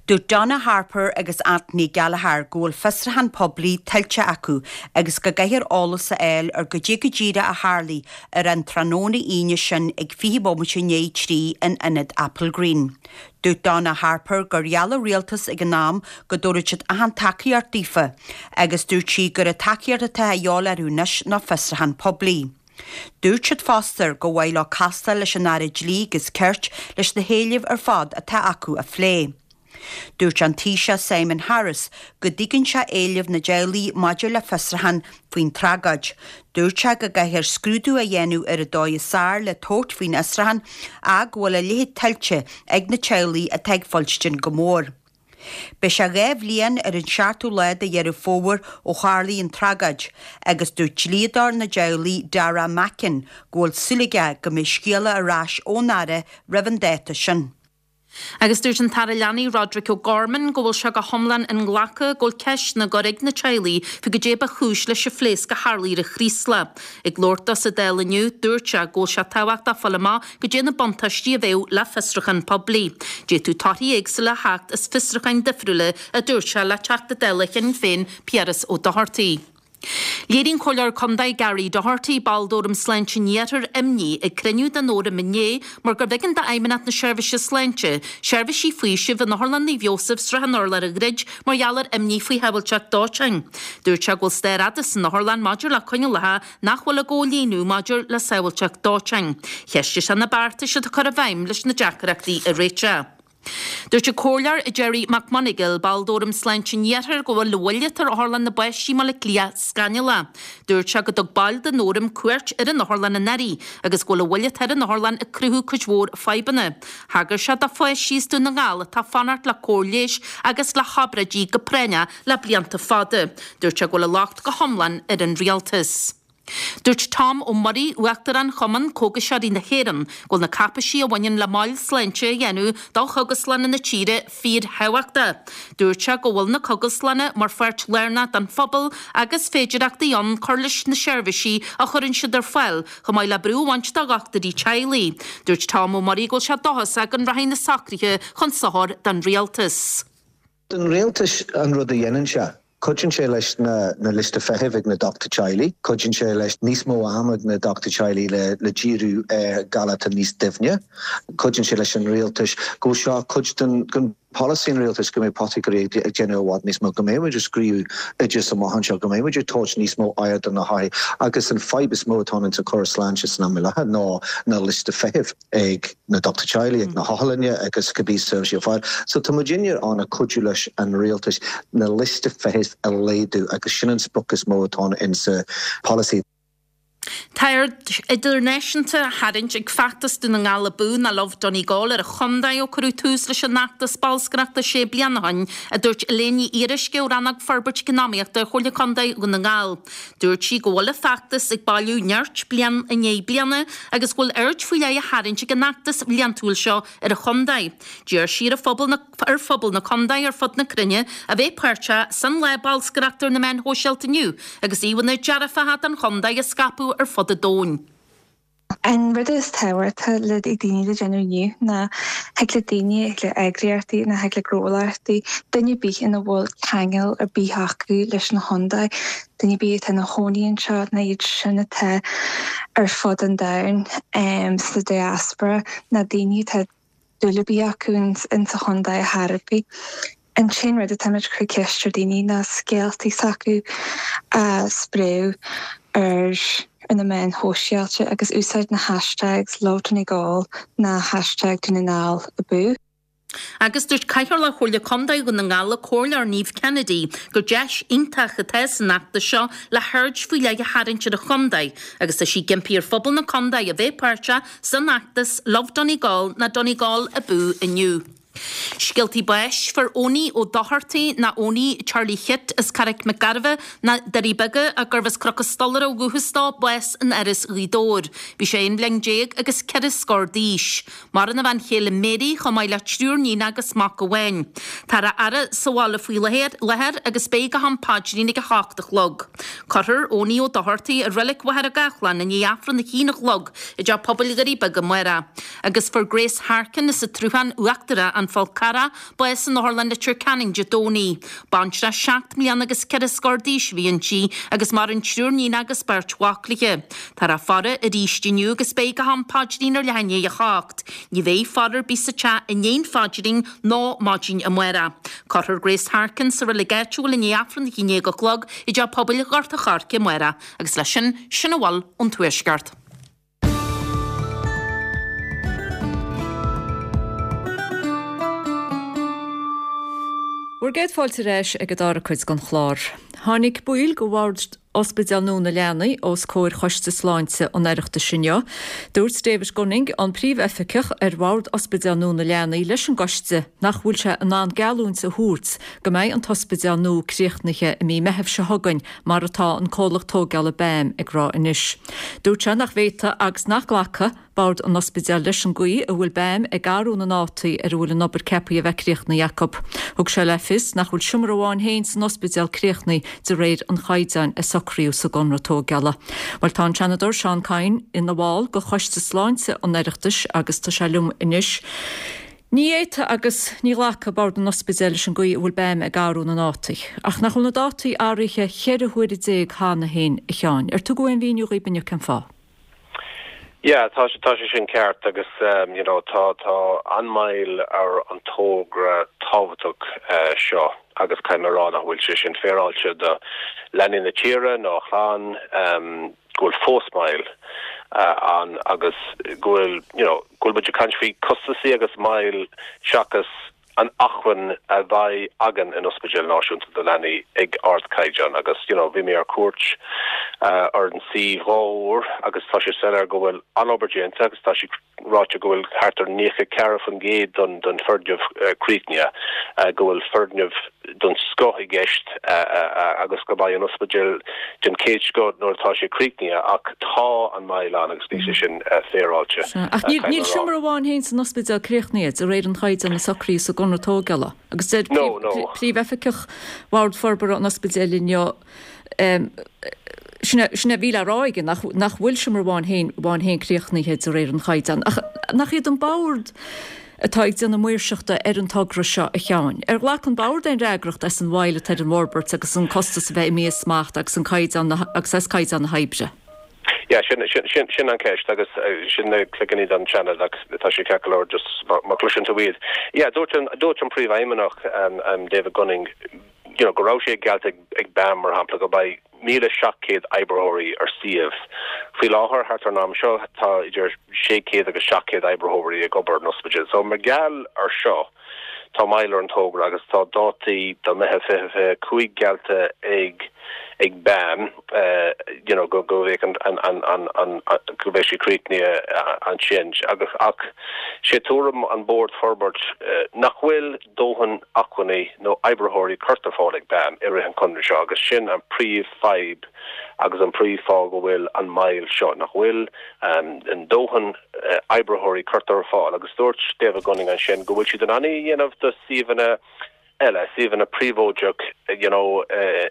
Dúirt Donna Harper agus Anthony Gallagher go bhfuil fiosrúchán poiblí tuillte acu agus go gcaithfear eolas a fháil ar goidé go díreach a tharlaigh ar an tráthnóna Aoine sin ag 20 bomaite i ndiaidh 3 in ionad Applegreen. Dúirt Donna Harper gur gheall an rialtas ag an am go dtabharfadh siad achan tacaíocht daofa agus dúirt sí gur an tacaíocht atá a dhíobháil orthu anois ná fiosrúchán poiblí. Dúirt siad fosta gur mhaith leo castáil leis an Aire Dlí agus Cirt leis na héilimh ar fad atá acu a phlé. Dúirt an Taoiseach Simon Harris go dtuigeann sé éilimh na dteaghlaigh maidir le fiosrúchán faoin tragóid. Dúirt sé go gcaithfear scrúdú a dhéanamh ar an dóigh is fearr le tabhairt faoin fhiosrúchán ach go bhfuil a leithéid tuillte ag na teaghlaigh atá ag fuilstin go mór. Beidh sé 2 bhliain ar an seachtú lá de Dheireadh Fómhair ó tharlaigh an tragóid agus dúirt dlíodóir na dteaghlaigh Darragh Mackin go bhfuil súil aige go mbeidh scéala ar ais ón Aire roimh an dáta sin. Agus dúirt an tAire Leanaí Roderic O'Gorman go bhfuil sé go hiomlán inghlactha go bhfuil ceisteanna á gcur ag na teaghlaigh faoi goidé ba chúis leis an phléasc a tharlaigh ar an Chraoslach. Ag labhairt dó sa Dáil inniu, dúirt sé go bhfuil sé tábhachtach fáil amach goidé na buntáistí a bheadh le fiosrúchán poiblí. D'fhéadfadh torthaí éagsúla a theacht as fiosrúcháin difriúla, a dúirt sé le Teachta Dála Shinn Féin Piaras Ó Dochartaigh. Léirigh an Comhairleoir Contae Gary Doherty, ball d'Fhóram Sláinte an Iarthair, imní ag cruinniú den Fhóram inné mar gurbh éigean d'Fheidhmeannacht na Seirbhíse Sláinte seirbhísí faoisimh in Otharlann Naomh Iósaf, Srath an Urláir a dhruid mar gheall ar imní faoi shábháilteacht dóiteáin. Dúirt sé go bhfuil stair fhada san otharlann maidir le coinníollacha nach bhfuil á gcomhlíonadh maidir le sábháilteacht dóiteáin. Cheistigh sé na beartais atá curtha i bhfeidhm leis na deacrachtaí a réiteach. Dúirt an Comhairleoir Gerry McMonagall, ball d'Fhóram Sláinte an Iarthair, go bhfuil an mhoill atá ar Otharlann na bPáistí i mBaile Átha Cliath scannalach. Dúirt sé go dtug baill den Fhóram cuairt ar an otharlann anuraidh agus go bhfuil an mhoill atá ar an otharlann ag cruthú cuid mhór fadhbanna. Thagair sé do pháistí as Dún na nGall atá ag fanacht le cóir leighis agus le hobráidí go práinneach le blianta fada. Dúirt sé go bhfuil an locht go hiomlán ar an rialtas. Dúirt Tom Ó Muirí, Uachtarán Chumann Cógaiseoirí na hÉireann, go bhfuil na cáipeisí a bhaineann le moil sláinte a dhéanamh do chógaslanna na tíre fíorthábhachtach. Dúirt sé go bhfuil na cógaslanna mar pháirt lárnach den phobal agus féidireachtaí ann cur leis na seirbhísí a chuireann siad ar fáil chomh maith le brú a bhaint de dhochtúirí teaghlaigh. Dúirt Tom Ó Muirí go bhfuil sé dóchasach go rachaidh na socruithe chun sochair don rialtas. Don rialtas, an rud a dhéanann sé, cuidíonn sé leis na liosta feithimh ag na dochtúirí teaghlaigh, cuidíonn sé leis níos mó ama ag na dochtúirí teaghlaigh le le díriú ar galair atá níos doimhne, cuidíonn sé leis an rialtas go bhfuil seo cuid den den polasaí an rialtais go mbeidh potagairí ag déanamh i bhfad níos mó, go mbeidh muid ag scríobh oideas amach anseo, go mbeidh muid ag tabhairt níos mó aird do na hothair agus an fadhb is mó atá ann sa chóras sláinte san am i láthair ná na liosta feithimh. ag na dochtúirí teaghlaigh, ag na hotharlainne agus cibé seirbhísí ar fáil. So tá muidinne ann ag cuidiú leis an rialtas na liosta feithimh a laghdú agus sin an sprioc is mó atá ann insa polasaí. Tá aird idirnáisiúnta á tharraingt ag feachtas Dún na nGall Abú nó Love Donegal ar an chontae ó cuireadh tús leis an fheachtas bolscaireachta sé bliana ó shin, a dúirt Elaine Ní Fhíoruisce ó Rannóg Forbairt Eacnamaíochta Chomhairle Contae Dhún na nGall. Dúirt sí go bhfuil an feachtas ag bailiú nirt bliain i ndiaidh bliana agus go bhfuil aird faoi leith á tharraingt ag an fheachtas bhliantúil seo ar an chontae. D'iarr sí ar phobal na ar phobal na contae ar fud na cruinne a bheith páirteach san lá bolscaireachta ar na meáin shóisialta inniu agus íomhánna dearfacha den chontae a scaipeadh ar fud an domhain. An rud is tábhachtaí le daoine le déanamh inniu ná thig le daoine, thig le eagraíochtaí nó thig le gnólachtaí, duine ar bith ina bhfuil ceangal ar bith acu leis an chontae, duine ar bith atá ina chónaí anseo nó iad sin atá ar fud an domhain sa diaspora nó daoine atá dúil ar bith acu insa chontae ar chor ar bith. An t-aon rud atáimid ag cur ceist ar daoine ná scéaltaí s'acu a spréadh ar na meáin shóisialta agus úsáid na hashtags LoveDonegal ná hashtag Dún na nGall Abú. Agus dúirt Cathaoirleach Chomhairle Contae Dhún na nGall, an Comhairleoir Niamh Kennedy, gur deis iontach atá san fheachtas seo le haird faoi leith a tharraingt ar an chontae agus tá sí ag impí ar phobal na contae a bheith páirteach san fheachtas Love Donegal ná Donegal Abú inniu. Scéaltaí báis, Fuair Owenie Ó Dochartaigh ná Owenie Charlie Chit as Carraig Mhic Gairbheith na Doirí Beaga gurbh as Cnoc an Stolaire ó dhúchas dó, bás in Áras Ghaoth Dobhair. Bhí sé aon bhliain déag agus ceithre scór d'aois. Maireann a bhean chéile Mary chomh maith le triúr níon agus mac amháin. Táthar á fhaire sa bhaile faoi láthair agus beidh go ham paidrín ag 7 a chlog. Cuirfear Owenie Ó Dochartaigh i Reilig Mhachaire Gathlán i ndiaidh Aifreann a haon a chlog i dTeach Pobail Dhoirí Beaga amárach. Agus fuair Grace Harkin as an tSruthán Uachtarach, An Fál Carrach, bás in Otharlann Leitir Ceanainn Dé Domhnaigh. Baintreach seacht mbliana agus ceithre scór d'aois a bhí inti agus maireann triúr níon agus beirt mhac léi. Táthar á faire arís inniu agus beidh go ham paidrín ar leath i ndiaidh a hocht. Ní bheidh faire ar bith sa teach i ndiaidh an phaidrín nó maidin amárach. Cuirfear Grace Harkin sa reilig áitiúil i ndiaidh Aifreann a haon déag a chlog i dTeach Pobail Ghort an Choirce amárach agus leis sin, sin a bhfuil ón Tuaisceart. Bhur gcéad fáilte ar ais ag an dara cuid den chlár. Tháinig baill de bhord Ospidéal Nua na Leanaí os comhair Choiste Sláinte an Oireachtais inniu. Dúirt David Gunning, an Príomhoifigeach ar Bhord Ospidéal Nua na Leanaí leis an gcoiste nach bhfuil sé in ann geallúint a thabhairt go mbeidh an t-ospidéal nua críochnaithe i mí Meithimh seo chugainn mar atá an comhlacht tógála BAM ag rá anois. Dúirt sé nach bhféadfadh agus nach nglacfadh Bord an Ospidéil leis an gcaoi a bhfuil BAM ag athrú na ndátaí ar a bhfuil an obair ceaptha a bheith críochnaithe acu. Thug sé le fios nach bhfuil seomra amháin féin san ospidéal críochnaithe de réir an chaighdeáin a socraíodh sa gconradh tógála. Bhuel tá an Seanadóir Seán Kyne ina bhall de Choiste Sláinte an Oireachtais agus tá sé liom anois. Ní fhéadfadh agus ní ghlacfadh Bord an Ospidéil leis an gcaoi a bhfuil BAM ag athrú na ndátaí. Ach nach bhfuil na dátaí athraithe cheithre huaire déag cheana féin, a Sheáin? Ar tugadh aon mhíniú dhaoib inniu cén fáth? Yeah, tá tá sé sin ceart agus you know tá tá an-mhoill ar an togra tábhachtach seo agus caithfidh mé a rá nach bhfuil sé sin féaráilte do leanaí na tíre ná a chlann. go bhfuil fós moill ann agus go bhfuil, you know, go bhfuil muid ag caint faoi costasaí agus moill seachas an acmhainn a bheidh againn in Ospidéal Náisiúnta do Leanaí ag ardchaighdeán agus, you know, bhí mé ar cuairt ar an suíomh dhá uair agus tá sé soiléir go bhfuil an-obair déanta agus tá sé ráite go bhfuil thart ar 94% den den foirgneamh críochnaithe, go bhfuil foirgneamh den scoth i gceist agus go mbeidh an ospidéal den chéad scoth nuair atá sé críochnaithe ach tá an moill ann agus níl sé sin féaráilte. Ach níl seomra amháin féin san ospidéal críochnaithe de réir an chaighdeáin a socraíodh sa gconradh tógála agus deir Príomhoifigeach Bhord Forbartha an Ospidéil inniu Sin é a bhí le rá aige, nach bhfuil seomra amháin féin amháin féin críochnaithe de réir an chaighdeáin. Ach nach iad an Bord atá ag déanamh maoirseachta ar an togra seo, a Sheáin? Ar ghlac an Bord aon fhreagracht as an mhoill atá ar an bhforbairt agus an costas a bheith imithe as smacht agus an caighdeán agus as caighdeán na hoibre? Yeah, sin, sin, sin, sin an ceist agus sin na cloiginí don Seanad ach tá sé ceart go leor just má chloiseann tú iad. Yeah, dúirt an, dúirt an Príomhfheidhmeannach, David Gunning, you know, go raibh sé geallta ag BAM, mar shampla, go mbeidh 1,700 oibritheoirí ar suíomh. Faoi láthair, thart ar an am seo, tá idir 600 agus 700 oibritheoirí ag obair an ospidéal. So, mar gheall ar seo, tá moill ar an togra agus tá dátaí do Meitheamh 2025 geallta ag ag BAM, you know, go go mbeidh an an an an an go mbeidh sé críochnaithe ansin. Agus ach sé tuairim an Bord Forbairt nach bhfuil dóthain acmhainní nó oibritheoirí curtha ar fáil ag BAM i rith an chonradh seo agus sin an príomh fadhb agus an príomh fáth go bhfuil an moill seo, nach bhfuil an dóthain oibritheoirí curtha ar fáil agus dúirt David Gunning ansin go bhfuil siad in ann é a dhéanamh do suíomhanna. eile, suíomhanna príobháideach you know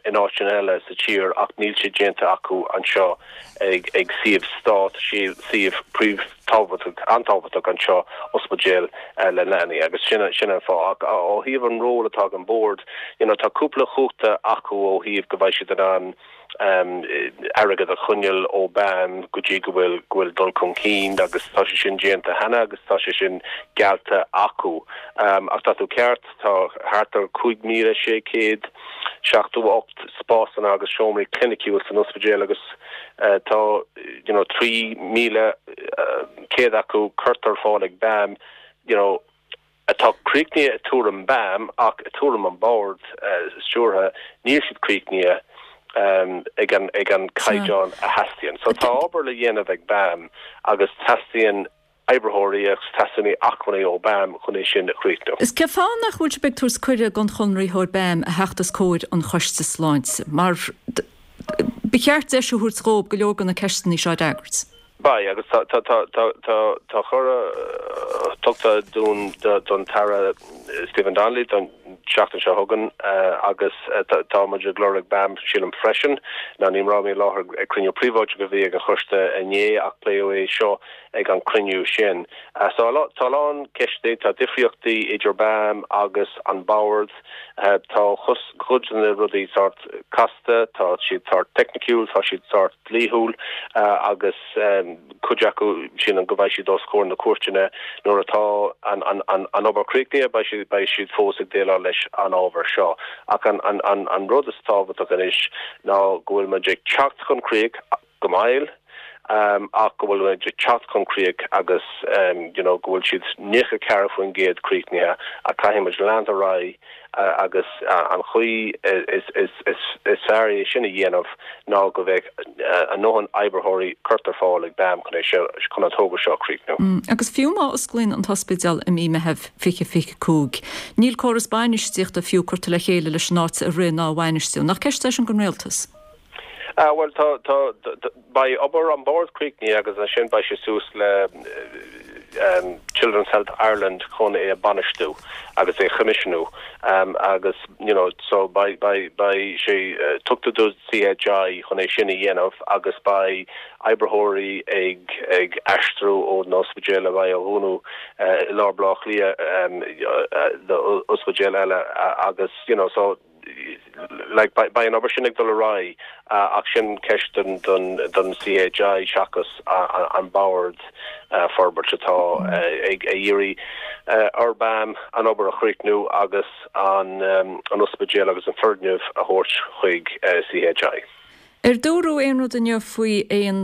in áiteanna eile sa tír ach níl sé déanta acu anseo ag ag suíomh stát, suíomh príomh tábhachtach, an-tábhachtach anseo, ospidéal le leanaí agus sin sin an fáth. Ach ó thaobh an ról atá ag an bord, you know tá cúpla chumhachta acu ó thaobh go mbeidh siad in ann airgead a choinneáil ó BAM go dtí go bhfuil go bhfuil dul chun cinn agus tá sé sin déanta cheana agus tá sé sin geallta acu. Ach tá tú ceart, tá thart ar 5,678 spásanna agus seomraí cliniciúil san ospidéal agus tá you know 3,100 acu curtha ar fáil ag BAM you know atá críochnaithe i tuairim BAM ach i tuairim an Bord Stiúrtha níl siad críochnaithe ag an ag an caighdeán a theastaíonn. So tá obair le dhéanamh ag BAM agus teastaíonn oibritheoirí agus teastaíonn acmhainní ó BAM chun é sin a chríochnú. Is cén fáth nach bhfuil sibh ag tabhairt cuireadh don chonraitheoir BAM a theacht os comhair an Choiste Sláinte mar ba cheart deis a thabhairt dhóibh go leor de na ceisteanna seo a fhreagairt. Beidh, agus tá, tá, tá, tá, tá, tá cuireadh tugtha dúinn don tAire Stephen Donnelly don tseachtain seo chugainn agus tá muid ag lorg BAM, sílim, freisin. Now ní raibh mé i láthair ag cruinniú príobháideach a bhí ag an choiste inné ach pléadh é seo ag an cruinniú sin. So tá a lán ceisteanna, tá difríochtaí idir BAM agus an Bord, tá cuid de na rudaí sórt casta, tá siad sórt teicniciúil, tá siad sórt dlíthiúil agus cuid acu sílim go mbeidh siad os comhair na cúirteanna nuair atá an obair críochnaithe, beidh siad beidh siad fós ag déileáil leis an ábhar seo. Ach an rud is tábhachtach anois ná go bhfuil muid ag teacht chun críoch go mall ach go bhfuil muid ag teacht chun críoch agus you know go bhfuil siad 94% críochnaithe ach caithfidh muid leanúint ar aghaidh agus an chaoi is fearr é sin a dhéanamh ná go mbeadh a ndóthain oibritheoirí curtha ar fáil ag BAM chun é seo, chun an togra seo a chríochnú. Agus fiú má osclaíonn an t-ospidéal i mí Meitheamh 2025, níl córas bainistíochta fiú curtha le chéile leis an áit a rith ná a bhainistiú. Nach ceist é sin don Rialtas? Bhuel, tá, tá, beidh obair an Bhoird críochnaithe agus ansin beidh sé suas le Children's Health Ireland chun é a bhainistiú agus é a choimisiúnú agus you know so beidh, beidh, beidh sé tugtha do CHI chun é sin a dhéanamh agus beidh oibritheoirí ag, ag aistriú ón ospidéal a bheidh á dhúnadh i lár Baile Átha Cliath do ospidéal eile agus you know so like beidh an obair sin ag dul ar aghaidh ach sin ceist don don CHI seachas an Bord Forbartha atá ag iarraidh ar BAM an obair a chríochnú agus an an ospidéal agus an foirgneamh a thabhairt chuig CHI. Ar dúradh aon rud inniu faoi aon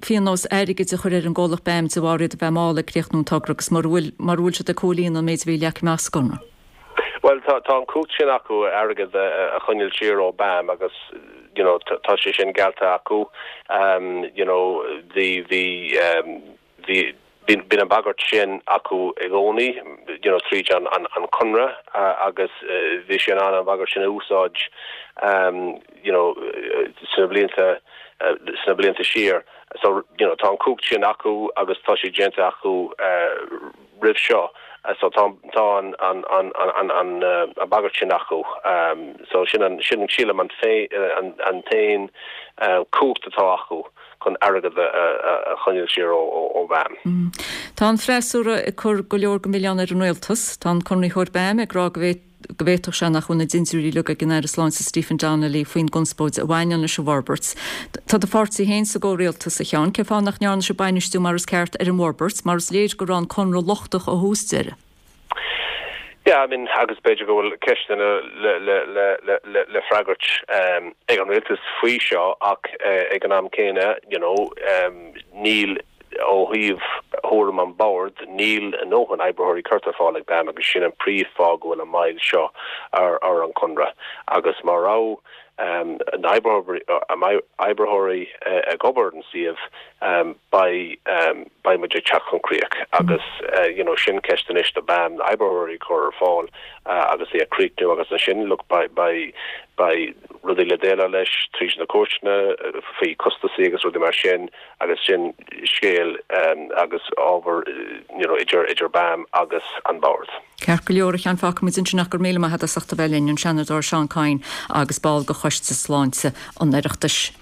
phionós airgid a chur ar an gcomhlacht BAM de bharr iad a bheith mall ag críochnú an togra agus mura bhfuil mura bhfuil siad ag comhlíonadh an méid a bhí leagtha amach sa gconradh? Bhuel, tá tá an cumhacht sin acu airgead a choinneáil siar ó BAM agus you know tá sé sin geallta acu. You know bhí bhí bhí bíonn an bhagairt sin acu i gcónaí you know tríd an an an conradh agus bhí sé in ann an bhagairt sin a úsáid you know sna blianta sna blianta siar. So you know tá an cumhacht sin acu agus tá sé déanta acu roimh seo so tá tá an an an an an an bagairt sin acu so sin an sin sílim an an an t-aon cumhacht atá acu chun airgead a a choinneáil siar ó ó BAM. Tá an freasúra ag cur go leor den mhilleán ar an rialtas. Tá an conraitheoir BAM ag rá go bhféadfadh go bhféadfadh sé nach bhfuil na dintiúirí uilig ag an Aire Sláinte Stephen Donnelly faoin gconspóid a bhaineann leis an bhforbairt. Tá do pháirtí féin sa gcomhrialtas, a Sheáin. Cén fáth nach ndearna sibh bainistiú mar is ceart ar an bhforbairt, mar is léir go raibh an conradh lochtach ó thús deireadh? Yeah, I mean, agus b'fhéidir go bhfuil ceisteanna le, le, le, le, le, le freagairt ag an rialtas faoi seo ach ag an am céanna, you know, níl Ó thaobh thuairim an Bhoird, níl a ndóthain oibritheoirí curtha ar fáil ag BAM agus sin an príomh fáth go bhfuil an moill seo ar an conradh. Agus má raibh. Na oibritheoirí ag obair ar an suíomh, beidh beidh muid ag teacht chun críoch agus you know sin ceist anois do BAM na oibritheoirí a chur ar fáil agus é a chríochnú agus ansin look beidh beidh beidh rudaí le déileáil leis tríd na cúirteanna faoi costasaí agus rudaí mar sin agus sin scéal agus ábhar you know idir idir BAM agus an Bord. Ceart go leor, a Sheáin, fágfaidh muid ansin ach go raibh míle maith agat as ucht a bheith linn, an Seanadóir Seán Kyne agus ball de Choiste Sláinte an Oireachtais.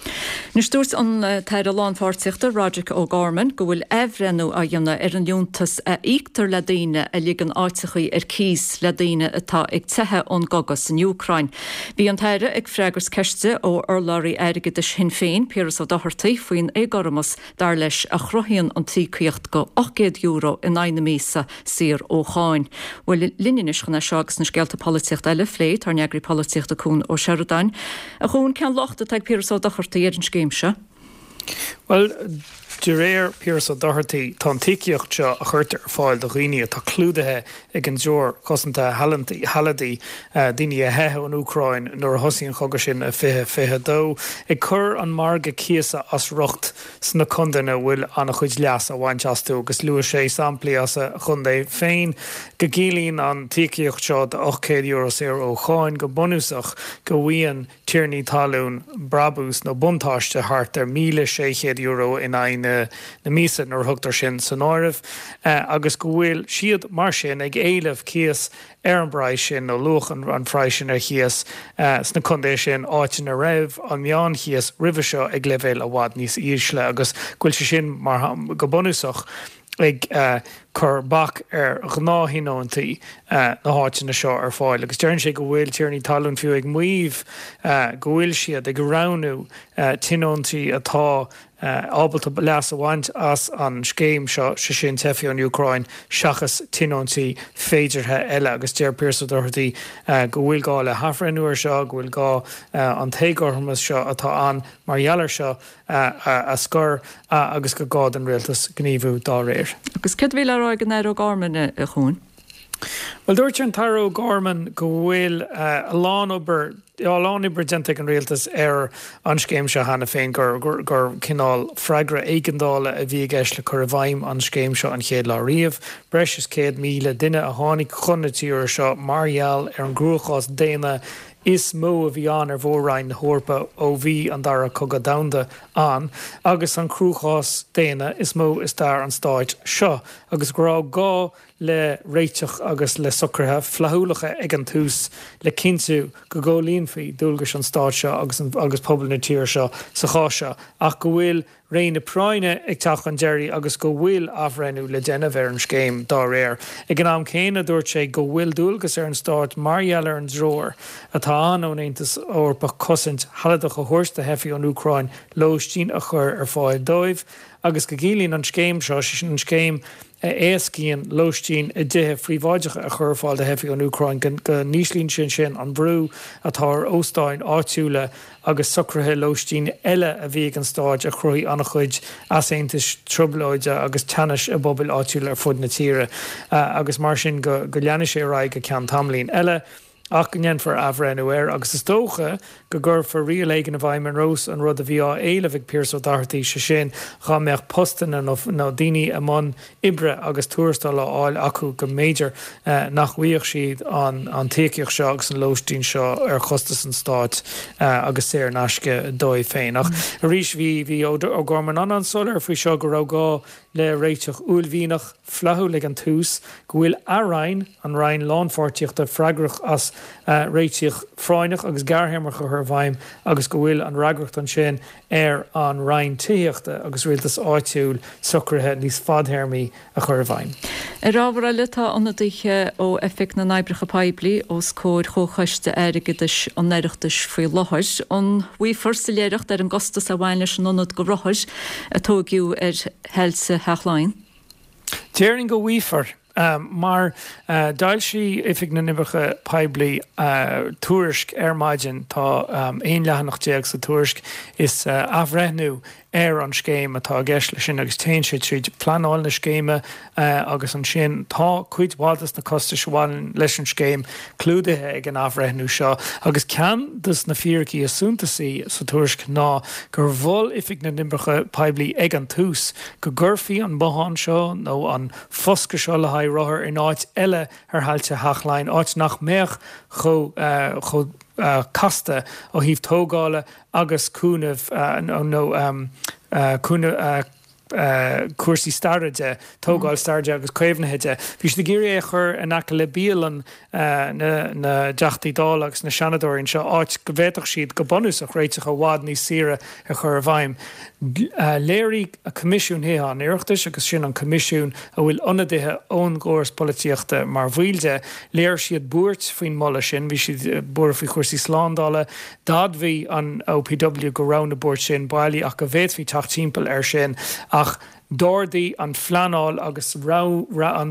Anois dúirt an tAire Lánpháirtíochta Roderic O'Gorman go bhfuil athbhreithniú á dhéanamh ar an liúntas a íoctar le daoine a ligeann áiteachaí ar cíos le daoine atá ag teitheadh ón gcogadh san Úcráin. Bhí an tAire ag freagairt ceiste ó urlabhraí airgeadais Shinn Féin, Piaras Ó Dochartaigh, faoin éagothromas dar leis, a chruthaíonn an t-íocaíocht de €800 in aghaidh na míosa saor ó cháin. Bhuel, linn anois chun é seo agus na scéalta polaitíochta eile a phlé, tá ár n-eagraí polaitíochta Cuan Ó Seireadáin. A Chuain, cén locht atá ag Piaras Ó Dochartaigh ar an scéim seo? Bhuel, de réir Piaras Ó Dochartaigh, tá an t-íocaíocht seo a chuirtear ar fáil do dhaoine atá clúdaithe ag an dTreoir Cosanta Shealadaí, daoine a theith ón Úcráin nuair a thosaigh an chogadh sin i 2022, ag cur an margadh cíosa as riocht sna contaetha a bhfuil an-chuid leas á bhaint astu agus luaigh sé samplaí as a chontae féin go gciallaíonn an t-íocaíocht seo de €800 saor ó cháin go bunúsach go bhfaigheann tiarnaí talún brabús nó buntáiste thart ar €1,600 in aghaidh na míosa nuair a thugtar sin san áireamh agus go bhfuil siad mar sin ag éileamh cíos ar an bpraghas sin nó luach an phraghais sin ar chíos sna contaetha sin, áit ina raibh an meánchíos roimhe seo ag leibhéal i bhfad níos ísle agus go bhfuil sé sin mar go bunúsach ag cur bac ar ghnáth-thionóntaí na háiteanna seo ar fáil agus deireann sé go bhfuil tiarnaí talún fiú ag maíomh go bhfuil siad ag roghnú tionóntaí atá ábalta leas a bhaint as an scéim seo, sé sin teifigh ón Úcráin, seachas tionóntaí féideartha eile agus deir Pearse Doherty go bhfuil gá le hathbhreithniú air seo, go bhfuil gá an t-éagothromas seo atá ann mar gheall air seo a scor agus gur gá don rialtas gníomhú dá réir. Agus céard a bhí le rá ag an Aire O'Gorman, a Chuain? Bhuel, dúirt an tAire O'Gorman go bhfuil a lán obair, a lán oibre déanta ag an rialtas ar an scéim seo cheana féin, gur gur cineál freagra éigeandála a bhí i gceist le cur i bhfeidhm an scéim seo an chéad lá riamh. Breis is 100,000 duine a tháinig chun na tíre seo mar gheall ar an gcruachás daonna is mó a bhí ann ar mhór-roinn na hEorpa ó bhí an Dara Cogadh Domhanda ann, agus an cruachás daonna is mó i stair an stáit seo, agus go raibh gá le réiteach agus le socruithe flaithiúlacha ag an tús le cinntiú go gcomhlíonfaí dualgais an stáit seo agus agus pobal na tíre seo sa chás seo, ach go bhfuil ré na práinne ag teacht chun deiridh agus go bhfuil athbhreithniú le déanamh ar an scéim dá réir. Ag an am céanna, dúirt sé go bhfuil dualgas ar an stát mar gheall ar an dtreoir atá ann ón Aontas Eorpach cosaint shealadach a thabhairt do theifigh ón Úcráin lóistín a chur ar fáil dóibh agus go gciallaíonn an scéim seo, sé sin an scéim a éascaíonn lóistín i dtithe phríobháideacha a chur ar fáil do theifigh ón Úcráin, go n-íslíonn sé sin an brú atá ar óstáin áitiúla agus socruithe lóistín eile a bhí ag an stát a chruthaigh an-chuid easaontais, trioblóide agus teannais i bpobail áitiúla ar fud na tíre agus mar sin go leanfaidh sé ar aghaidh go ceann tamaillín eile. ach go ndéanfar athbhreithniú air agus is dócha go gcuirfear riail éigin i bhfeidhm ar nós an rud a bhí á éileamh ag Pearse Ó Dochartaigh, sé sin dhá mbeadh postanna nó daoine i mbun oibre agus tuarastal á fháil acu go mb'fhéidir nach bhfaigheadh siad an t-íocaíocht seo agus an lóistín seo ar chostas an stáit agus saor in aisce dóibh féin. Ach arís bhí bhí O'Gorman an-an-soiléir faoi seo go raibh gá le réiteach uaillmhianach, flaithiúil ag an tús, go bhfuil a Roinn, an Roinn Lánpháirtíochta, freagrach as réiteach phráinneach agus gearrthéarmach a chur i bhfeidhm agus go bhfuil an fhreagracht ansin ar an Roinn Tithíochta agus Rialtais Áitiúil socruithe níos fadthéarmaí a chur i bhfeidhm. Ar ábhar eile, tá ionadaithe ó Oifig na nOibreacha Poiblí os comhair Chomhchoiste Airgeadais an Oireachtais faoi láthair. An bhfaighfear soiléireacht ar an gcostas a bhain leis an ionad do rothair a tóigeadh ar thailte Theach Laighean? Déarfainn go bhfaighfear, mar d'fhoilsigh Oifig na nOibreacha Poiblí tuairisc ar maidin, tá 11 leathanach sa tuairisc, is athbhreithniú. ar an scéim atá i gceist leis sin agus téann sé tríd pleanáil na scéime agus ansin tá cuid mhaith des na costais a bhaineann leis an scéim clúdaithe ag an athbhreithniú seo agus ceann des na fíricí is suntasaí sa tuairisc ná gur mhol Oifig na nOibreacha Poiblí ag an tús go gcuirfí an bothán seo nó an foscadh seo le haghaidh rothar in áit eile ar thailte Theach Laighean, áit nach mbeadh chomh chomh casta ó thaobh tógála agus cúnamh nó cúnamh cúrsaí staire de, tógáil staire de agus caomhnaithe de. Bhí siad ag iarraidh é a chur in aice le bialann na dTeachtaí Dála agus na Seanadóirí anseo, áit go bhféadfadh siad go bunúsach réiteach i bhfad níos saoire a chur i bhfeidhm. Léirigh Coimisiún Thithe an Oireachtais, agus sin an coimisiún a bhfuil ionadaithe ón gcóras polaitíochta mar bhaill de, léirigh siad buairt faoin moladh sin. Bhí siad buartha faoi chúrsaí slándála. D'admhaigh an OPW go raibh na buairt sin bailí ach go bhféadfaí teacht timpeall air sin. Ach d'ardaigh an phleanáil agus an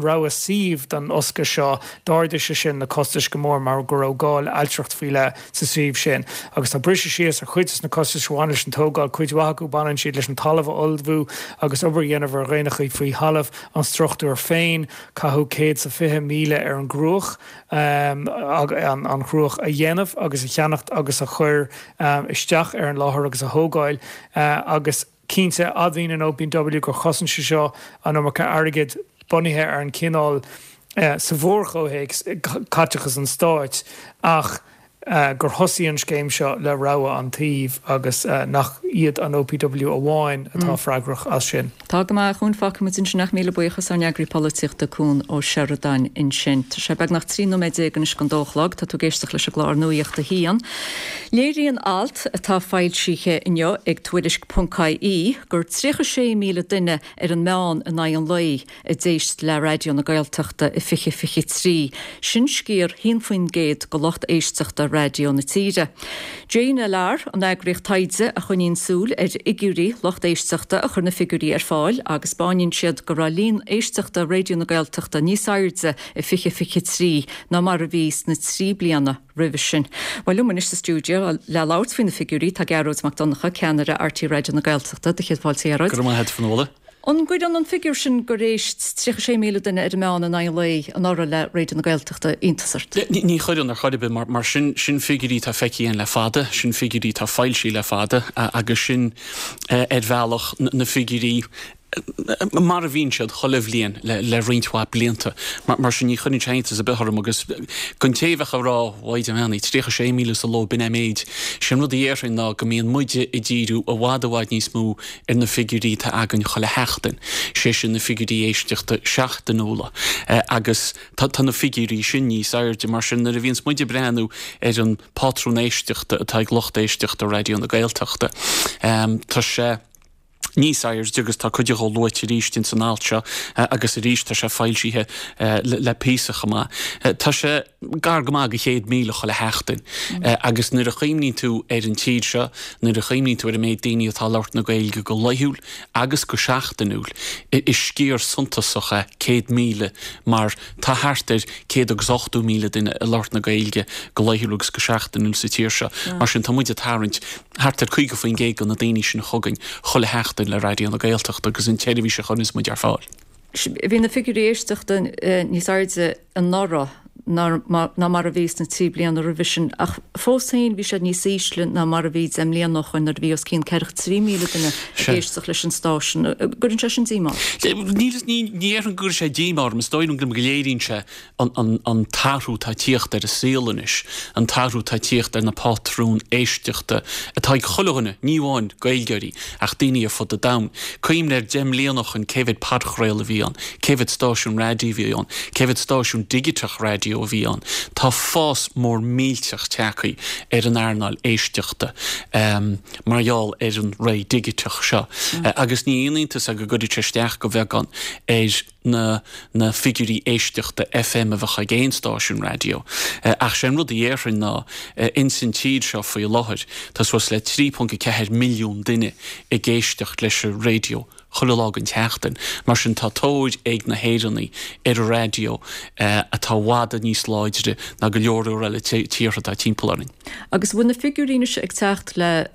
rogha suímh don fhoscadh seo, d'ardaigh sé sin na costais go mór mar go raibh gá le ailtireacht faoi leith sa suíomh sin. Agus tá briseadh síos ar chuid de na costais a bhain leis an tógáil, cuid mhaith acu baineann siad leis an talamh a ullmhú agus obair a dhéanamh ar dhraenacha faoi thalamh, an struchtúr féin, caitheadh 120,000 ar an gcruach, an chruach a dhéanamh agus a cheannacht agus a chur isteach ar an láthair agus a thógáil agus. Cinnte, admhaíonn an OPW gur chosain sé seo an iomarca airgid bunaithe ar an chineál, sa mhórchomhthéacs, caiteachas an stáit, ach gur thosaigh an scéim seo le rogha an tsuímh agus nach iad an OPW amháin atá freagrach as sin. Tá go maith, a Chuain, fágfaidh muid ansin ach míle buíochas ár n-eagraí polaitíochta Cuan Ó Seireadáin ansin. Tá sé beagnach 13 nóiméad anois don dó a chlog. Tá tú ag éisteacht leis an gclár Nuacht a hAon. Léiríonn alt atá foilsithe inniu ag Tuairisc ponc ie gur 36,000 duine ar an meán in aghaidh an lae a d'éist le Raidió na Gaeltachta i 2023, sin sciar 1% de lucht éisteachta raidió na tíre. JNLR, an eagraíocht taighde a choinníonn súil ar fhigiúirí lucht éisteachta a chuir na figiúirí ar fáil agus 'spáineann siad go raibh líon éisteachta Raidió na Gaeltachta níos airde i 2023 ná mar a bhí sna 3 bliana roimhe sin. Bhuel, liom anois sa stiúideo le labhairt faoi na figiúirí tá Gearóid Mac Donncha, ceannaire RTÉ Raidió na Gaeltachta. Do chéad fáilte, a Ghearóid. Go raibh maith agat, a Fionnuala. An gcuireann an figiúr sin gur éist 36,000 duine ar an meán in aghaidh an lae anuraidh le Raidió na Gaeltachta iontas ort? Ní chuireann ar chor ar bith, mar sin, sin figiúirí atá feicthe againn le fada, sin figiúirí atá foilsithe le fada agus sin ar bhealach na figiúirí mar a bhíonn siad chuile bhliain le roinnt mhaith blianta. Mar sin, ní chuireann sé iontas ar bith orm agus don té a bheadh ag rá, Mhaighdean Bheannaithe, 36,000 sa ló, b'in é an méid. Sé an rud a dhéarfainn ná go mbíonn muide ag díriú i bhfad i bhfad níos mó ar na figiúirí atá againn chuile sheachtain, sé sin na figiúirí éisteachta seachtainiúla agus tá na figiúirí sin níos airde. Mar sin, nuair a bhíonns muid ag breathnú ar an pátrún éisteachta atá ag lucht éisteachta Raidió na Gaeltachta, tá sé. níos airde agus tá cuid dhó luaite arís ins an alt seo agus arís tá sé foilsithe le píosa chomh maith. Tá sé gar go maith go 100,000 chuile sheachtain agus nuair a chuimhníonn tú ar an tír seo, nuair a chuimhníonn tú ar an méid daoine atá ag labhairt na Gaeilge go laethúil agus go seachtainiúil, is sciar suntasach é 100,000 mar tá thart ar 180,000 duine ag labhairt na Gaeilge go laethúil agus go seachtainiúil sa tír seo. Mar sin tá muid ag tarraingt Thart ar 50% de na daoine sin chugainn chuile sheachtain le Raidió na Gaeltachta agus an tseirbhís a chuireanns muid ar fáil. Bhí na figiúirí éisteachta níos airde anuraidh ná mar a bhí sna 3 bliana roimhe sin ach fós féin bhí siad níos ísle ná mar a bhí 10 mbliana ó shoin nuair a bhí os cionn 43,000 duine ag éisteacht leis an stáisiún. An gcuireann sé sin díomá ort? Ní déarfainn go gcuireann sé díomá orm. Is dóigh liom go léiríonn sé an t-athrú atá ag tíocht ar an saol anois, an t-athrú atá ag tíocht ar na pátrúin éisteachta atá ag chuile dhuine, ní amháin Gaeilgeoirí ach daoine ar fud an domhain. Cuimhnigh ar 10 mbliana ó shoin cé mhéad podchraoladh a bhí ann, cé mhéad stáisiún raidió a bhí ann, cé mhéad stáisiún digiteach raidió a bhí ann. Tá fás mór millteach tagtha ar an earnáil éisteachta mar gheall ar an ré dhigiteach seo agus ní haon iontas é go gcuirfeadh sé isteach de bheagán ar na na figiúirí éisteachta FM a bheadh ag aon stáisiún raidió. Ach sé an rud a dhéarfainn ná, ins an tír seo faoi láthair, tá suas le 3.4 milliún duine ag éisteacht leis an raidió chuile lá den tseachtain. Mar sin tá tóir ag na hÉireannaigh ar an raidió atá i bhfad níos láidre ná go leor leor eile tíortha atá timpeall orainn. Agus bhfuil na figiúirí anois ag teacht le.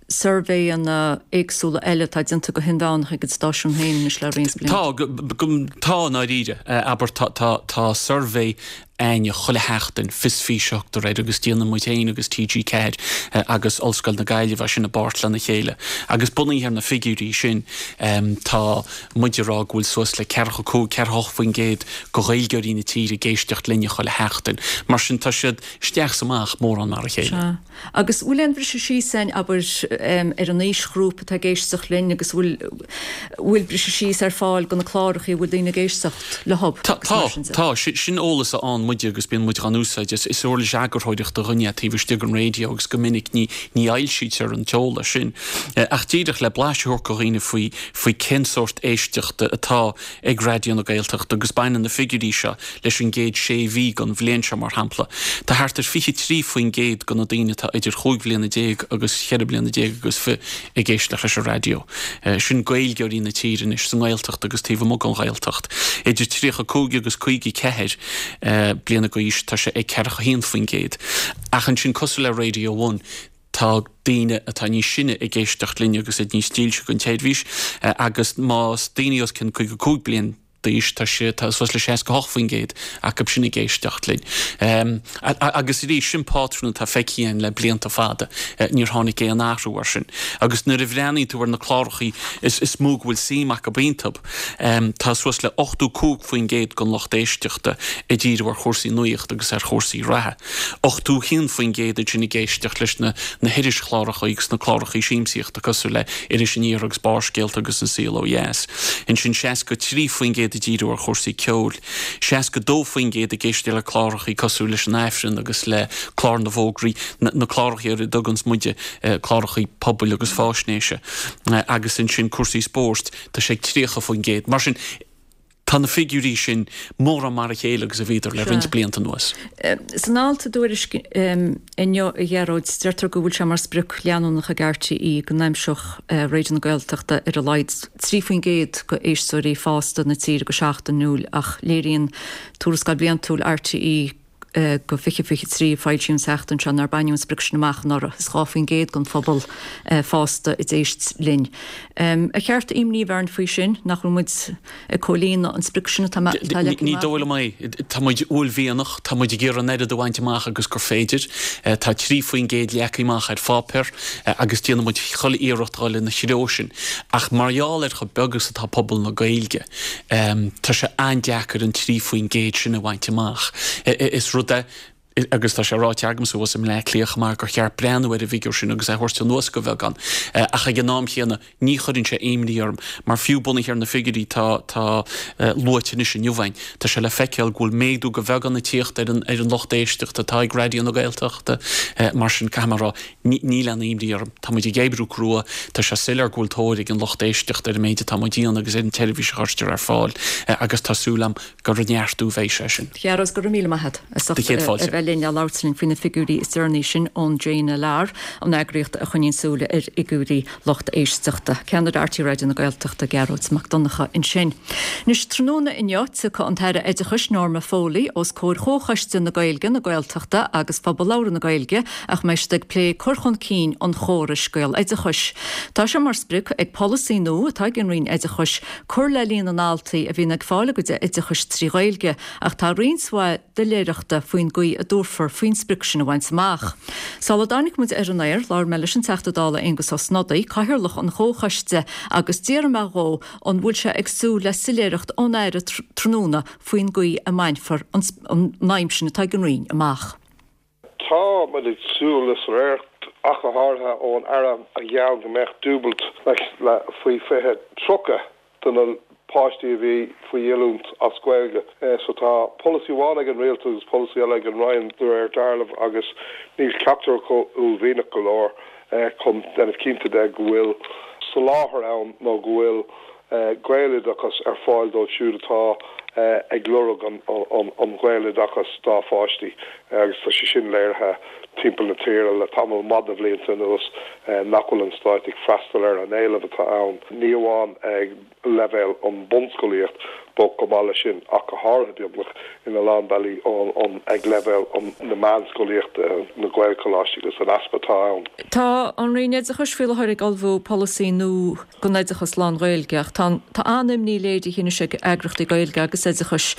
suirbhéanna éagsúla eile atá déanta go hinmheánach ag an stáisiún féin anois le roinnt blianta? Tá, tá i ndáiríre. Abair, tá, tá, tá suirbhé a'inne chuile sheachtain, Fios Físe a thugtar air, agus déanann muid féin agus TG4 agus Ollscoil na Gaillimhe é sin i bpáirt lena chéile. Agus bunaithe ar na figiúirí sin, tá muid ag rá go bhfuil suas le 45, 48% de Ghaeilgeoirí na tíre ag éisteacht linne chuile sheachtain. Mar sin, tá siad isteach is amach mórán mar a chéile. Sea. Agus bhfuil aon bhriseadh síos ann, abair, ar an aoisghrúpa atá ag éisteacht linn agus bhfuil, bhfuil briseadh síos ar fáil do na clárachaí a bhfuil daoine ag éisteacht leo agus mar sin de? Tá, tá. Sin eolas a fhaigheann muide agus bíonn muid dhá úsáid. Is uirlis eagarthóireachta dhúinn é taobh istigh den raidió agus go minic ní, ní fhoilsítear an t-eolas sin. Ach díreach le blaiseadh a thabhairt do dhaoine faoi, faoi cén sórt éisteachta atá ag Raidió na Gaeltachta agus baineann na figiúirí seo leis an gcéad sé mhí den bhliain seo, mar shampla. Tá thart ar 23% de na daoine atá idir chúig bhliana déag agus cheithre bliana déag agus fi ag éisteacht leis an raidió. Sin Gaeilgeoirí na tíre anois, sa nGaeltacht agus taobh amuigh den Ghaeltacht. Idir 35 agus 54 bliana d'aois, tá sé ag 41%. Ach ansin, cosúil le Radio One, Tá daoine atá níos sine ag éisteacht linn agus iad níos dílse don tseirbhís agus más daoine os cionn 55 bliain d'aois tá sé, tá suas le 68% acu sin ag éisteacht linn. Agus arís, sin pátrún atá feicthe againn le blianta fada, níor tháinig aon athrú air sin. Agus nuair a bhreathnaíonn tú ar na clárachaí is mó go bhfuil suim acu iontu, tá suas le 85% den lucht éisteachta ag díriú ar chúrsaí nuachta agus ar chúrsaí reatha. 81% ansin ag éisteacht leis na na hirischláracha agus na clárachaí siamsaíochta cosúil le Iris Aniar agus Barrscéalta agus An Saol Ó Dheas. Ansin 63% ag díriú ar chúrsaí ceoil. 62% ag éisteacht le clárachaí cosúil leis an Aifreann agus le Clár na bhFógraí, na clárachaí ar a dtuganns muide clárachaí pobail agus fáisnéise. Agus ansin cúrsaí spóirt, tá sé ag 30%. Mar sin, Tá na figiúirí sin mórán mar a chéile agus a bhíodar le roinnt blianta anuas. San alt i dTuairisc inniu, a Ghearóid, deirtear go bhfuil sé mar sprioc leanúnach ag RTÉ go n-aimseodh Raidió na Gaeltachta ar a laghad 3% de éisteoirí fásta na tíre go seachtainiúil ach léiríonn tuarascáil bhliantúil RTÉ go 2023 a foilsíodh an tseachtain seo nár baineadh an sprioc sin amach anuraidh. Is 2% den phobal fásta a d'éist linn. Ar cheart imní a bheith orainn faoi sin, nach bhfuil muid ag comhlíonadh an sprioc sin atá leagtha amach? Ní dóigh liom é. Tá muid uaillmhianach, tá muid ag iarraidh an oiread a bhaint amach agus gur féidir. Tá 3% leagtha amach ar pháipéar agus déanann muid chuile iarracht dhul ina threo sin. Ach mar gheall ar chomh beag is atá pobal na Gaeilge, Tá sé an-deacair an 3% sin a bhaint amach. Is rud é, agus tá sé ráite agamsa thuas i mBleá Cliath chomh maith, gur cheart breathnú ar an bhfigiúr sin agus é a thabhairt anuas go bheagán. Ach ag an am chéanna, ní chuireann sé imní orm, mar fiú bunaithe ar na figiúirí atá tá luaite anois inniu againn, tá sé le feiceáil go bhfuil méadú go bheagán ag tíocht ar an ar an lucht éisteachta atá ag Raidió na Gaeltachta. Mar sin, caithfidh mé a rá, Níl aon imní orm. Tá muid ag oibriú crua. Tá sé soiléir go bhfuil tóir ag an lucht éisteachta ar an méid atá muid a dhéanamh agus ar an tseirbhís a chuirtear ar fáil agus tá súil agam gur ag neartú a bheidh sé sin. Ghearóid, go raibh míle maith agat as ucht a bheith linn a labhairt linn faoi na figiúirí is deireanaí sin ón JNLR, an eagraíocht a choinníonn súil ar fhigiúirí lucht éisteachta. Ceannaire RTÉ Raidió na Gaeltachta, Gearóid Mac Donncha ansin. Anois, tráthnóna inniu, tiocfaidh an tAire Oideachais Norma Foley os comhair Chomhchoiste na Gaeilge, na Gaeltachta agus Phobal Labhartha na Gaeilge ach mbeidh siad ag plé cur chun cinn an chórais Gaeloideachais. Tá sé mar sprioc ag polasaí nua atá ag an Roinn Oideachais cur le líon na ndaltaí a bhíonn ag fáil a gcuid oideachais trí Ghaeilge ach tá roinnt mhaith doiléireachta faoin gcaoi a dtabharfar faoin sprioc sin a bhaint amach. Sula dtáinig muid ar an aer, labhair mé leis an Teachta Dála Aengus Ó Snodaigh, Cathaoirleach an Chomhchoiste, agus d'fhiafraigh mé dhó an bhfuil sé ag súil le soiléireacht ón Aire tráthnóna faoin gcaoi a mbainfear an aidhm sin atá ag an Roinn amach. Tá muid ag súil le soiléireacht, ach go háirithe ón Aire a gheall go mbeadh dúbailt le faoi 2030 do na páistí a bhí faoi oiliúint as Gaeilge. So tá polasaí amháin ag an Rialtas agus polasaí eile ag an Roinn de réir dealraimh agus níl ceachtar acu uaillmhianach go leor chun déanamh cinnte de go bhfuil soláthar ann nó go bhfuil Gaeloideachas ar fáil dóibh siúd atá. ag lorg an Ghaeloideachas dá pháistí agus tá sé sin léirithe timpeall na tíre le tamall maith de bhlianta anuas nach bhfuil an Stát ag freastal ar an éileamh atá ann, ní amháin ag leibhéal an bunscolaíocht but chomh maith leis sin ach go háirithe beagnach ina lán bealaí ag leibhéal na meánscolaíochta, na Gaelcholáistí agus an easpa atá ann. Tá an Roinn Oideachais faoi láthair ag ullmhú polasaí nua don oideachas lán-Ghaeilge ach tá tá an-imní léirithe anois ag eagraíochtaí Gaeilge agus oideachais,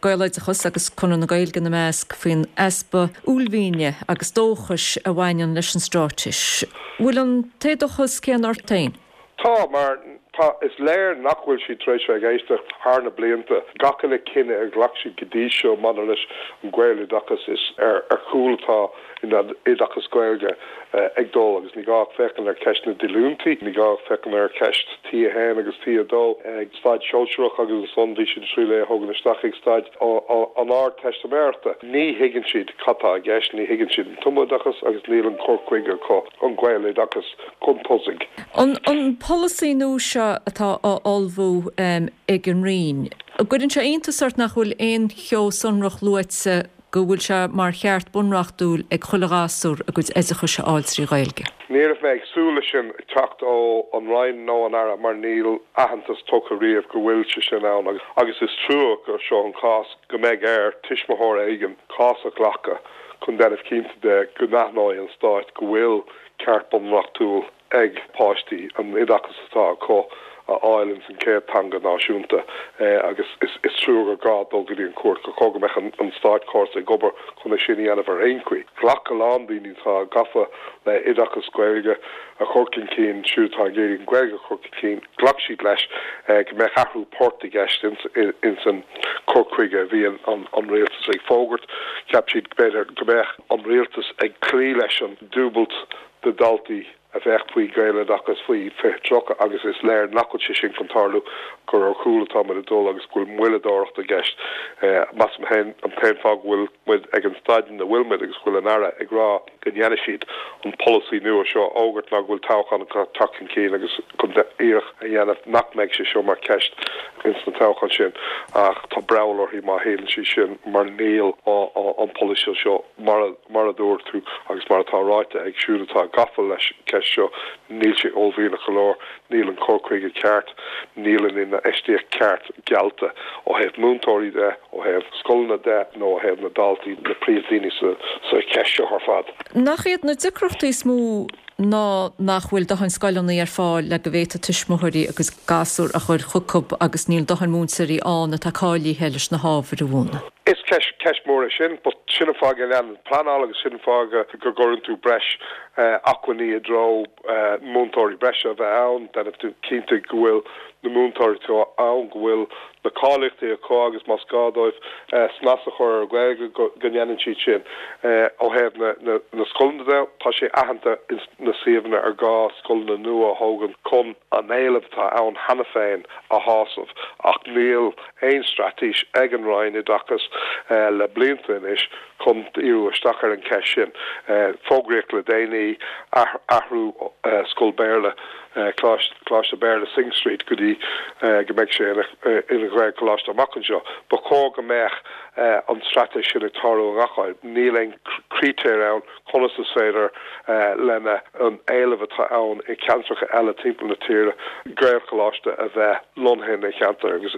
Gaeloideachas agus Conradh na Gaeilge ina measc, faoin easpa uaillmhiane agus dóchais a bhaineann leis an straitéis. Bhfuil an t-éadóchas céanna ort féin? Tá, mar tá, is léir nach bhfuil siad tar éis bheith ag éisteacht thar na blianta. Gach uile cinneadh a ghlac siad go dtí seo maidir leis an Ghaeloideachas, is ar chúl atá an oideachas Gaeilge ag dul agus ní gá ach féachaint ar cheist na díolúintí, ní gá ach féachaint ar cheist T1 agus T2 ag staid shóisearach agus ansan bhí siad ag triail é a thógaint isteach ag staid an Ardteistiméireachta. Ní thuigeann siad cad tá i gceist, ní thuigeann siad an tumoideachas agus níl an cur chuige acu an Gaeloideachas chun tosaigh. An polasaí nua seo atá á ullmhú ag an Roinn, an gcuireann sé iontas ort nach bhfuil aon cheo sonrach luaite go bhfuil sé mar cheart bunreachtúil ag chuile ghasúr a gcuid oideachais a fháil trí Ghaeilge? Ní raibh mé ag súil leis sin ag teacht ó an Roinn nó an Aire mar níl aitheantas tugtha riamh go bhfuil sé sin ann agus is trua gur seo an cás go mbeidh ar tuismitheoir éigin cás a ghlacadh chun déanamh cinnte de go n-aithneoidh an Stát go bhfuil ceart bunreachtúil ag páistí an oideachas atá acu a fháil ins an chéad teanga náisiúnta agus is trua gur gá dul go dtí an chúirt, gur chóir go mbeadh an státchóras ag obair chun é sin a dhéanamh ar aon chaoi. Ghlac a lán daoine atá gafa le oideachas Gaeilge a chur chun cinn, siúd atá ag iarraidh an Ghaeilge a chur chun cinn, ghlac siad leis go mbeadh athrú poirt i gceist ins an cur chuige a bhí an rialtas ag fógairt. Cheap siad b'fhéidir go mbeadh an rialtas ag cloí leis an dúbailt de dhaltaí a bheadh faoi Ghaeloideachas faoi 2030 agus is léir nach bhfuil sé sin chun tarlú, gur ar chúl atá muid ag dul agus go bhfuil moilleadóireacht i gceist. Measaim féin an t-aon fáth go bhfuil muid ag an staid ina bhfuil muid agus go bhfuil an Aire ag rá go ndéanfaidh siad an polasaí nua seo a fhógairt ná go bhfuil toghchán ag teacht chun cinn agus chun iarracht a dhéanamh nach mbeidh sé seo mar cheist ins na toghcháin sin ach tá breall uirthi má shíleann sí sin mar níl an polasaí seo mar Mar a dúirt tú, agus mar atá ráite ag siúd atá gafa leis an cheist seo, níl sé uaillmhianach go leor, níl an cur chuige ceart, níl an infheistíocht ceart geallta ó thaobh múinteoirí de, ó thaobh scoileanna de nó ó thaobh na daltaí, na príomhdhaoine sa cheist seo ar fad. Nach iad na deacrachtaí is mó ná nach bhfuil dóthain scoileanna ar fáil le go bhféadfadh tuismitheoirí a gcuid gasúr a chur chucu agus níl dóthain múinteoirí ann atá cáilithe leis na hábhair a mhúineadh. Is ceist, ceist mhór é sin, but sin an fáth go leanann pleanáil agus sin an fáth go gcuireann tú breis acmhainní i dtreo múinteoirí breise a bheith ann, déanamh cinnte go bhfuil na múinteoirí atá ann, go bhfuil na cáilíochtaí acu agus más gá dóibh snas a chur ar an Ghaeilge go ndéanann siad sin. Ó thaobh na scoileanna de, tá sé aitheanta ins na suíomhanna ar gá scoileanna nua a thógaint chun an éileamh atá ann cheana féin a shásamh ach níl aon straitéis ag an Roinn Oideachais le blianta anois chun díriú isteach ar an cheist sin. Fógraíodh le déanaí athrú scoil Béarla Coláiste Béarla Synge Street go dtí go mbeidh sé ina Ghaelcholáiste amach anseo. Ba chóir go mbeadh an straitéis sin ag tarlú i ngach áit. Níl aon critéir ann conas is féidir lena an éileamh atá ann i ceantracha eile timpeall na tíre Gaelcholáiste a bheith lonnaithe ina cheantar agus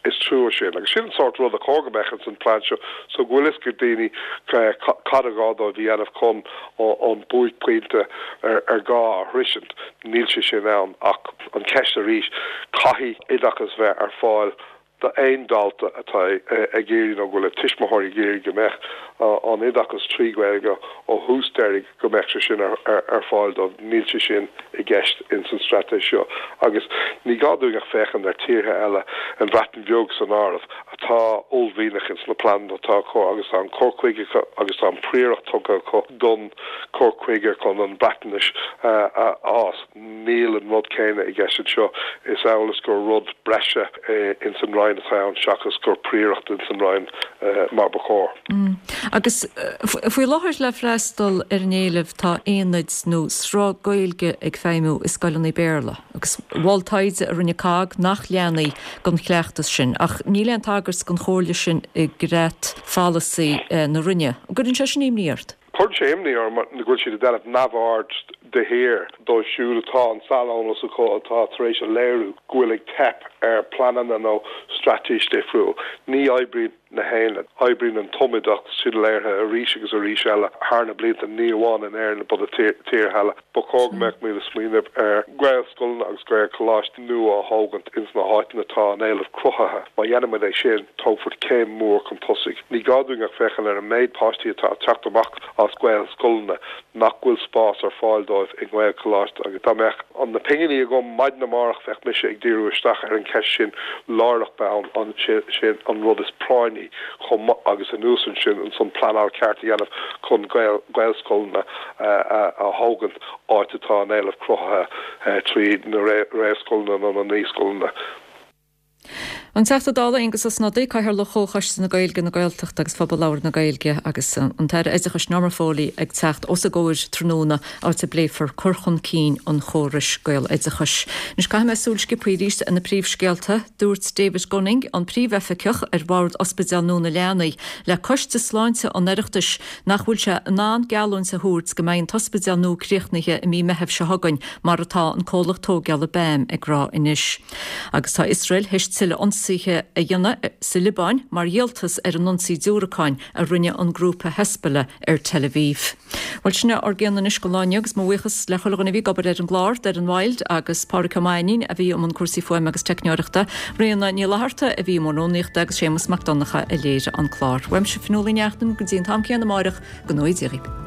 is trua sin. Agus sin an sórt rud a chóir go mbeadh ins an plean seo so go bhfuil fhios ag daoine cad a gá dóibh a dhéanamh chun an buaicphointe ar gá a shroisint. Níl sé sin ann ach an cheist arís, caithfidh oideachas bheith ar fáil d'aon dalta atá ag iarraidh nó go bhfuil a tuismitheoirí ag iarraidh go mbeadh an oideachas trí Ghaeilge ó thús deiridh go mbeadh sé sin ar fáil dóibh. Níl sé sin i gceist ins an straitéis seo agus ní gá dúinn ach féachaint ar tíortha eile, an Bhreatain Bheag san áireamh, atá uaillmhianach ins na pleananna atá acu agus tá an cur chuige acu agus tá an phríoracht tugtha acu don cur chuige chun an Bhreatnais a fhás. Níl an rud céanna i gceist anseo. Is amhail is gur rud breise ins an Roinn. Roinn atá ann seachas gur príoracht ins an Roinn mar ba chóir. Agus faoi láthair le freastal ar an éileamh tá aonaid nó sruth Gaeilge ag feidhmiú i scoileanna Béarla agus mhol taighde a rinne COGG nach leanfaí den chleachtas sin ach níl aon tagairt don chomhairle sin i gcreat pholasaí na Roinne. An gcuireann sé sin imní ort? Cuireann sé imní orm go bhfuil siad ag déanamh neamhaird de shíor dóibh siúd atá an saineolas acu atá tar éis a léiriú go bhfuil ag teip ar pleananna nó straitéis difriúil. Ní oibríonn na haonaid. Oibríonn an tumoideachas, sin léirithe arís agus arís eile thar na blianta, ní amháin in Éirinn but i tíortha eile. Ba chóir go mbeadh muid ag smaoineamh ar Ghaelscoileanna agus Gaelcholáistí nua a thógaint ins na háiteanna atá an éileamh cruthaithe. Má dhéanann muid é sin, tógfar céim mhór chun tosaigh. Ní gá dúinn ach féachaint ar an méid páistí atá ag teacht amach as Gaelscoileanna nach bhfuil spás ar fáil dóibh i nGaelcholáiste agus dá mbeadh na pinginí agam maidin amárach bheadh mise ag díriú isteach ar an cheist sin láithreach bonn, an sin an rud is práinní chomh maith agus anuas ansin ansan pleanáil ceart a dhéanamh chun Gaelscoileanna a thógaint áit atá an éileamh cruthaithe trí na réamhscoileanna nó na naíscoileanna. An Teachta Dála Aengus Ó Snodaigh, Cathaoirleach Chomhchoiste na Gaeilge, na Gaeltachta agus Phobal Labhartha na Gaeilge agus an tAire Oideachais Norma Foley ag teacht os a gcomhair tráthnóna áit a bpléifear cur chun cinn an chórais Gaeloideachais. Anois caithfidh mé súil sciobtha arís ar na príomhscéalta. Dúirt David Gunning, an Príomhoifigeach ar Bhord Ospidéal Nua na Leanaí, le Coiste Sláinte an Oireachtais nach bhfuil sé in ann geallúint a thabhairt go mbeidh an t-ospidéal nua críochnaithe i mí Meithimh seo chugainn, mar atá an comhlacht tóigeála BAM ag rá anois. Agus tá Iosrael théis tuilleadh ionsaithe a dhéanamh sa Liobáin mar dhíoltas ar an ionsaí diúracáin a rinne an grúpa Hezbollah ar Tel Aviv. Bhuel, sin é ár gcion anois don lá inniu agus mo bhuíochas le chuile dhuine a bhí ag obair ar an gclár, Doireann Wilde agus Pádraic Ó Mainnín a bhí i mbun cúrsaí fuaime agus teicneoireachta, Ríona Ní Fhlatharta a bhí i mbun rúnaíochta agus Séamus Mac Donncha a léirigh an clár. Uaimse Fionnuala Ní Neachtain go dtí an t-am céanna amáireach, go ngnóthaí Dia dhaoibh.